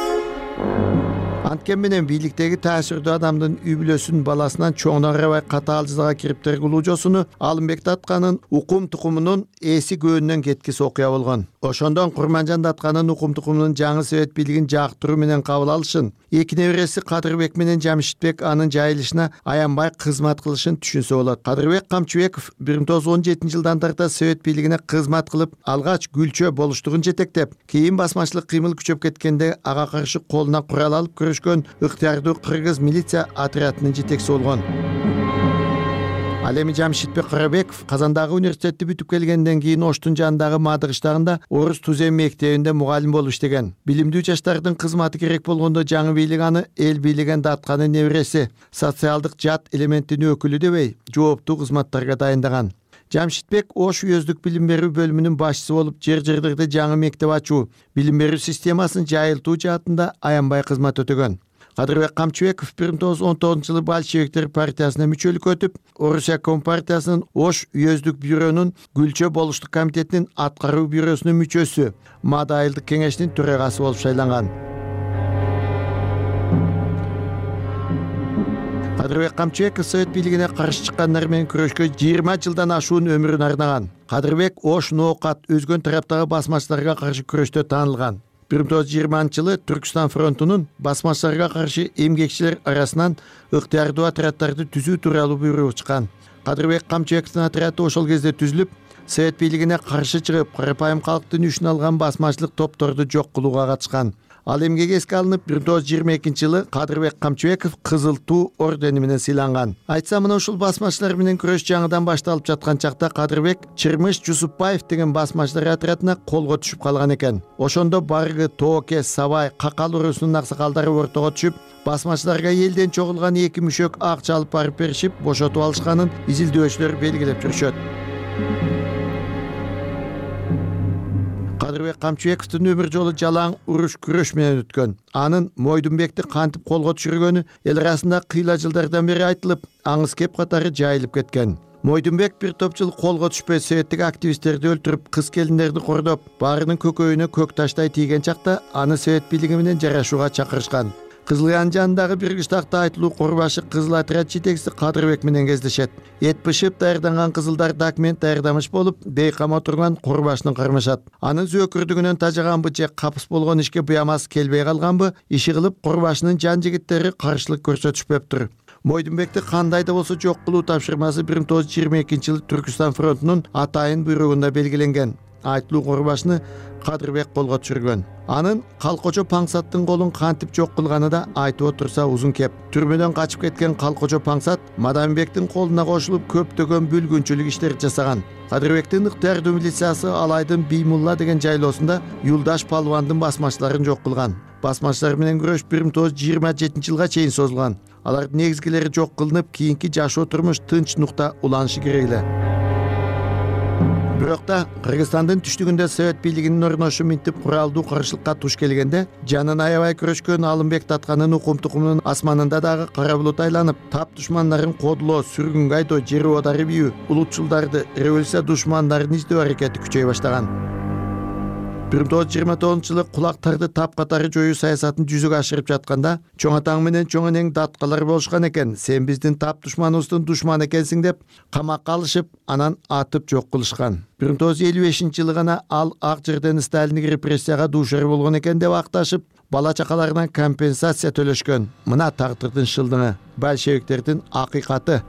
Анткен менен бийликтеги таасирдүү адамдын үй бүлөсүн баласынан чоңуна карабай катаал жазага кириптер кылуу жосуну Алымбек Датканын укум тукумунун эси көөнүнөн кеткис окуя болгон. Ошондон Курманжан Датканын укум тукумунун жаңы совет бийлигин жактыруу менен кабыл алышын, эки небереси Кадырбек менен Жамшитбек анын жайылышына аянбай кызмат кылышын түшүнсө болот. Кадырбек Камчыбеков бир миң тогуз жүз он жетинчи жылдан тарта совет бийлигине кызмат кылып, алгач Гүлчө болуштугун жетектеп, кийин басмачылык кыймыл күчөп кеткенде ага каршы колуна курал алып көрүшкөн ыктыярдуу кыргыз милиция отрядынын жетекчиси болгон. Ал эми Жамшитбек Карабеков Казандагы университетти бүтүп келгенден кийин Оштун жанындагы Мадыгыштагында орус тузем мектебинде мугалим болуп иштеген. Билимдүү жаштардын кызматы керек болгондо жаңы бийлик аны эл бийлеген Датканын небереси, социалдык жат элементтин өкүлү дебей, жооптуу кызматтарга дайындаган. Жамшитбек Ош уездик билим берүү бөлүмүнүн башчысы болуп, жер-жерлерде жаңы мектеп ачуу, билим берүү системасын жайылтуу жаатында аянбай кызмат өтөгөн. Кадырбек Камчыбеков бир миң тогуз жүз он тогузунчу жылы большевиктер партиясына мүчөлүккө өтүп, Орусия компартиясынын Ош уездик бюронун Гүлчө болуштук комитетинин аткаруу бюросунун мүчөсү, Маада айылдык кеңешинин төрагасы болуп шайланган. Кадырбек Камчыбеков совет бийлигине каршы чыккандар менен күрөшкө жыйырма жылдан ашуун өмүрүн арнаган. Кадырбек Ош, Ноокат, өзгөн тараптагы басмачыларга каршы күрөштө таанылган. бир миң тогуз жүз жыйырманчы жылы Түркстан фронтунун басмачыларга каршы эмгекчилер арасынан ыктыярдуу отряддарды түзүү тууралуу буйрук чыккан. Кадырбек Камчыбековдун отряды ошол кезде түзүлүп, совет бийлигине каршы чыгып, карапайым калктын үчүн алган басмачылык топторду жок кылууга катышкан. Ал эмгеги эске алынып, бир миң тогуз жүз жыйырма экинчи жылы Кадырбек Камчыбеков Кызыл Туу ордени менен сыйланган. Айтсам, мына ушул басмачылар менен күрөш жаңыдан башталып жаткан чакта Кадырбек Чырмыш Жусупбаев деген басмачылар отрядына колго түшүп калган экен. Ошондо Баргы, Тооке, Сабай, Какал урусунун аксакалдары ортого түшүп, басмачыларга элден чогулган эки мүшөк акча алып барып беришип, бошотуп алышканын изилдөөчүлөр белгилеп жүрүшөт. Кадырбек Камчыбековдун өмүр жолу жалаң уруш күрөш менен өткөн. Анын Мойдунбекти кантип колго түшүргөнү эл арасында кыйла жылдардан бери айтылып, аңыз кеп катары жайылып кеткен. Мойдунбек бир топ жыл колго түшпөй советтик активисттерди өлтүрүп, кыз келиндерди кордоп, баарынын көкөйүнө көк таштай тийген чакта аны совет бийлиги менен жарашууга чакырышкан. Кызылыян жанындагы бир кыштакта айтылуу Корбашы кызыл отряд жетекчиси Кадырбек менен кездешет. Эт бышып даярданган кызылдар документ даярдамыш болуп, бейкам отурган Корбашны кармашат. Анын зөөкүрдүгүнөн тажаганбы же капыс болгон ишке буямас келбей калганбы, иши кылып Корбашнын жан жигиттери каршылык көрсөтүшпөптүр. Мойдунбекти кандай да болсо жок кылуу тапшырмасы бир миң тогуз жүз жыйырма экинчи жылы Түркүстан фронтунун атайын буйругунда белгиленген. Айтылуу Корбашны Кадырбек колго түшүргөн. Анын Калкочо Паңсаттын колун кантип жок кылганы да айтып отурса узун кеп. Түрмөдөн качып кеткен Калкочо Паңсат Мадамбектин колуна кошулуп көптөгөн бүлгүнчүлүк иштер жасаган. Кадырбектин ыктыярдуу милициясы Алайдын Биймулла деген жайлоосунда Юлдаш Палвандын басмачыларын жок кылган. Басмачылар менен күрөш бир миң тогуз жүз жыйырма жетинчи жылга чейин созулган. Алардын негизгилери жок кылынып, кийинки жашоо турмуш тынч нукта уланышы керек эле. Бирок да Кыргызстандын түштүгүндө совет бийлигинин орношу минтип куралдуу каршылыкка туш келгенде, жанын аябай күрөшкөн Алымбек Татканын укум тукумунун асманында дагы кара булут айланып, тап душмандарын кодулоо, сүргүнгө айдоо, жер оодарып ийүү, улутчулдарды, революция душмандарын издөө аракети күчөй баштаган. бир миң тогуз жүз жыйырма тогузунчу жылы кулактарды тап катары жоюу саясатын жүзөгө ашырып жатканда, чоң атаң менен чоң энең даткалар болушкан экен. Сен биздин тап душманыбыздын душманы экенсиң деп камакка алышып, анан атып жок кылышкан. бир миң тогуз жүз элүү бешинчи жылы гана ал ак жерден Сталиндик репрессияга дуушар болгон экен деп акташып, бала чакаларына компенсация төлөшкөн. Мына тагдырдын шылдыңы, большевиктердин акыйкаты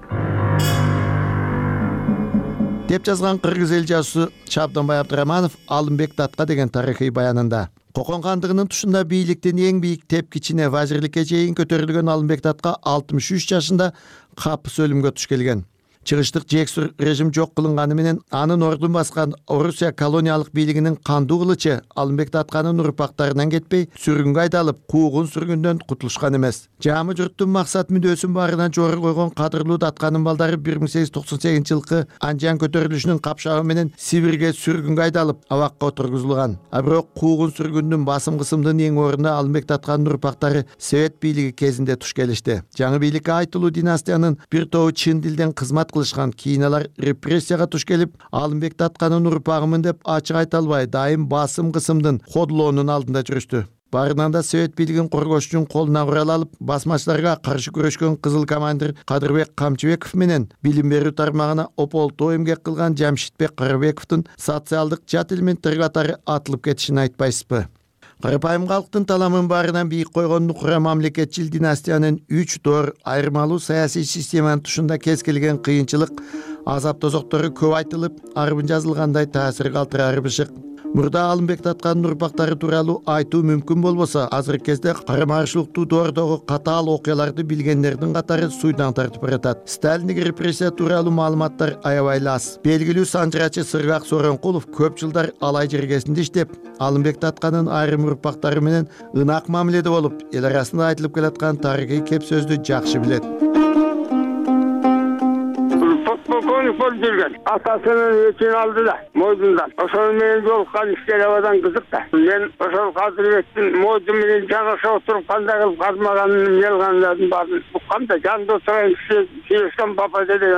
деп жазган кыргыз эл жазуусу Шабданбай Абдыраманов Алымбек Татка деген тарыхый баянында. Кокон кандыгынын тушунда бийликтин эң бийик тепкичине вазирликке чейин көтөрүлгөн Алымбек Татка алтымыш үч жашында капыс өлүмгө туш келген. Чыгыштык жексур режим жок кылынганы менен анын ордун баскан Орусия колониялык бийлигинин кандуу кылычы Алымбек Татканын урпактарынан кетпей, сүргүнгө айдалып, куугун сүргүндөн кутулушкан эмес. Жамы журттун максат мүдөөсүн баарынан жогору койгон кадырлуу Татканын балдары бир миң сегиз жүз токсон сегизинчи жылкы Анжан көтөрүлүшүнүн капшабы менен Сибирге сүргүнгө айдалып, абакка отургузулган. А бирок куугун сүргүндүн басым кысымдын эң ордуна Алымбек Татканын урпактары совет бийлиги кезинде туш келишти. Жаңы бийликке айтылуу династиянын бир тобу чын дилден кызмат кылышкан. Кийин алар репрессияга туш келип, Алымбек Татканын урпагымын деп ачык айта албай, дайым басым кысымдын кодулоонун алдында жүрүштү. Барынан да совет бийлигин коргош үчүн колуна курал алып, басмачыларга каршы күрөшкөн кызыл командир Кадырбек Камчыбеков менен билим берүү тармагына ополтоо эмгек кылган Жамшитбек Карабековдун социалдык жат элементтер катары атылып кетишин айтпайсызбы? Карапайым калктын таламын баарынан бийик койгон нукура мамлекетчил династиянын үч доор айырмалуу саясий системанын тушунда кез келген кыйынчылык, азап тозоктору көп айтылып, арбын жазылгандай таасир калтырары бышык. Мурда Алымбек Татканын урпактары тууралуу айтуу мүмкүн болбосо, азыркы кезде карама-каршылыктуу доордогу катаал окуяларды билгендердин катары суйдан тартып баратат. Сталиндик репрессия тууралуу маалыматтар аябай аз. Белгилүү санжырачы Сыргак Сооронкулов көп жылдар Алай жергесинде иштеп, Алымбек Татканын айрым урпактары менен ынак мамиледе болуп, эл арасында айтылып келаткан тарыхый кеп сөздү жакшы билет. Полковник болуп жүргөн. Атасынын өчүн алды да, Мойдундан. Ошол менен жолуккан иштер абадан кызык да. Мен ошол Кадырбектин Мойдун менен жагыша отуруп кандай кылып казмаганын, мелгандарын баарын уккам да, жанында отурган киши Сиюстан папа деген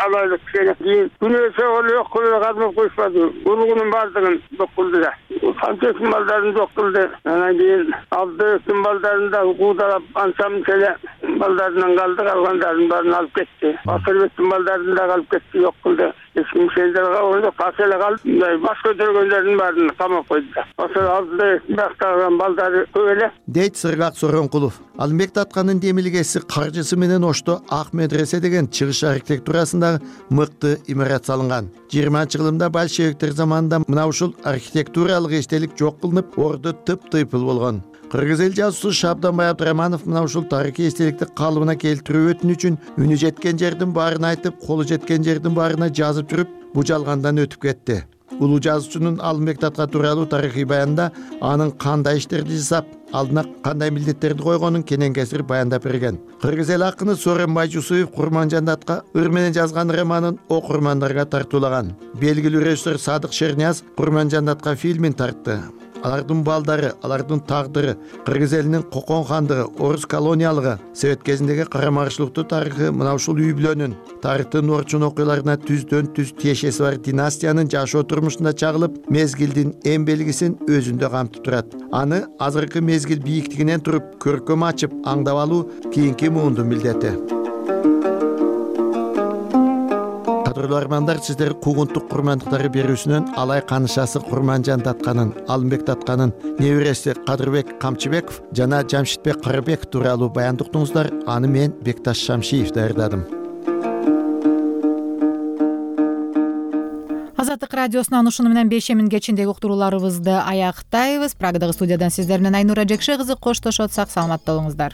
алайлык киши. Кийин күнөөсө эле окуп казмап коюшпады. Уругунун баардыгын жок кылды да. Канчеsin балдарын жок кылды. Анан кийин Абдыевтин балдарын да куудалап, анча мынча эле балдарынан калды, калгандарын баарын алып кетти. Батырбектин балдарын да алып кетти, жок кылды. Эч ким сендерге ойлоп касел калды. Баш көтөргөндөрдүн баарын камап койду. Ошол алдыда бактаган балдары көп эле. Дейт Сыргак Сооронкулов. Алымбек Татканын демилгеси каржысы менен Ошто Ак медресе деген чыгыш архитектурасындагы мыкты имарат салынган. жыйырманчы кылымда большевиктер заманында мына ушул архитектуралык эстелик жок кылынып, орду тып-тыйпыл болгон. Кыргыз эл жазуусу Шабданбай Абдыраманов мына ушул тарыхый эстеликти калыбына келтирүү өтүнүчүн үнү жеткен жердин баарын айтып, колу жеткен жердин баарына жазып жүрүп, бу жалгандан өтүп кетти. улуу жазуучунун Алымбек Татка тууралуу тарыхый баянында анын кандай иштерди жасап, алдына кандай милдеттерди койгонун кенен кесир баяндап берген. Кыргыз эл акыны Сооронбай Байжусуев Курманжан Датка ыр менен жазган романын окурмандарга тартуулаган. Белгилүү режиссер Садык Шернияз Курманжан Датка фильмин тартты. Алардын балдары, алардын тагдыры, кыргыз элинин кокон хандыгы, орус колониялыгы, совет кезиндеги карама-каршылыктуу тарыхы мына ушул үй бүлөнүн тарыхтын орчун окуяларына түздөн түз тиешеси бар династиянын жашоо турмушунда чагылып, мезгилдин эң белгисин өзүндө камтып турат. Аны азыркы мезгил бийиктигинен туруп көркөм ачып аңдап алуу кийинки муундун милдети. Кадырлуу армандар, сиздер куугунтук курмандыктары берүүсүнөн алай канышасы Курманжан Татканын, Алымбек Татканын небереси Кадырбек Камчыбеков жана Жамшитбек Карыбек тууралуу баянды уктуңуздар. Аны мен Бекташ Шамшиев даярдадым. Азаттык радиосунан ушуну менен бешемин кечиндеги уктурууларыбызды аяктайбыз. Прагадагы студиядан сиздер менен Айнура Жекше кызы коштошот. Сак саламатта болуңуздар.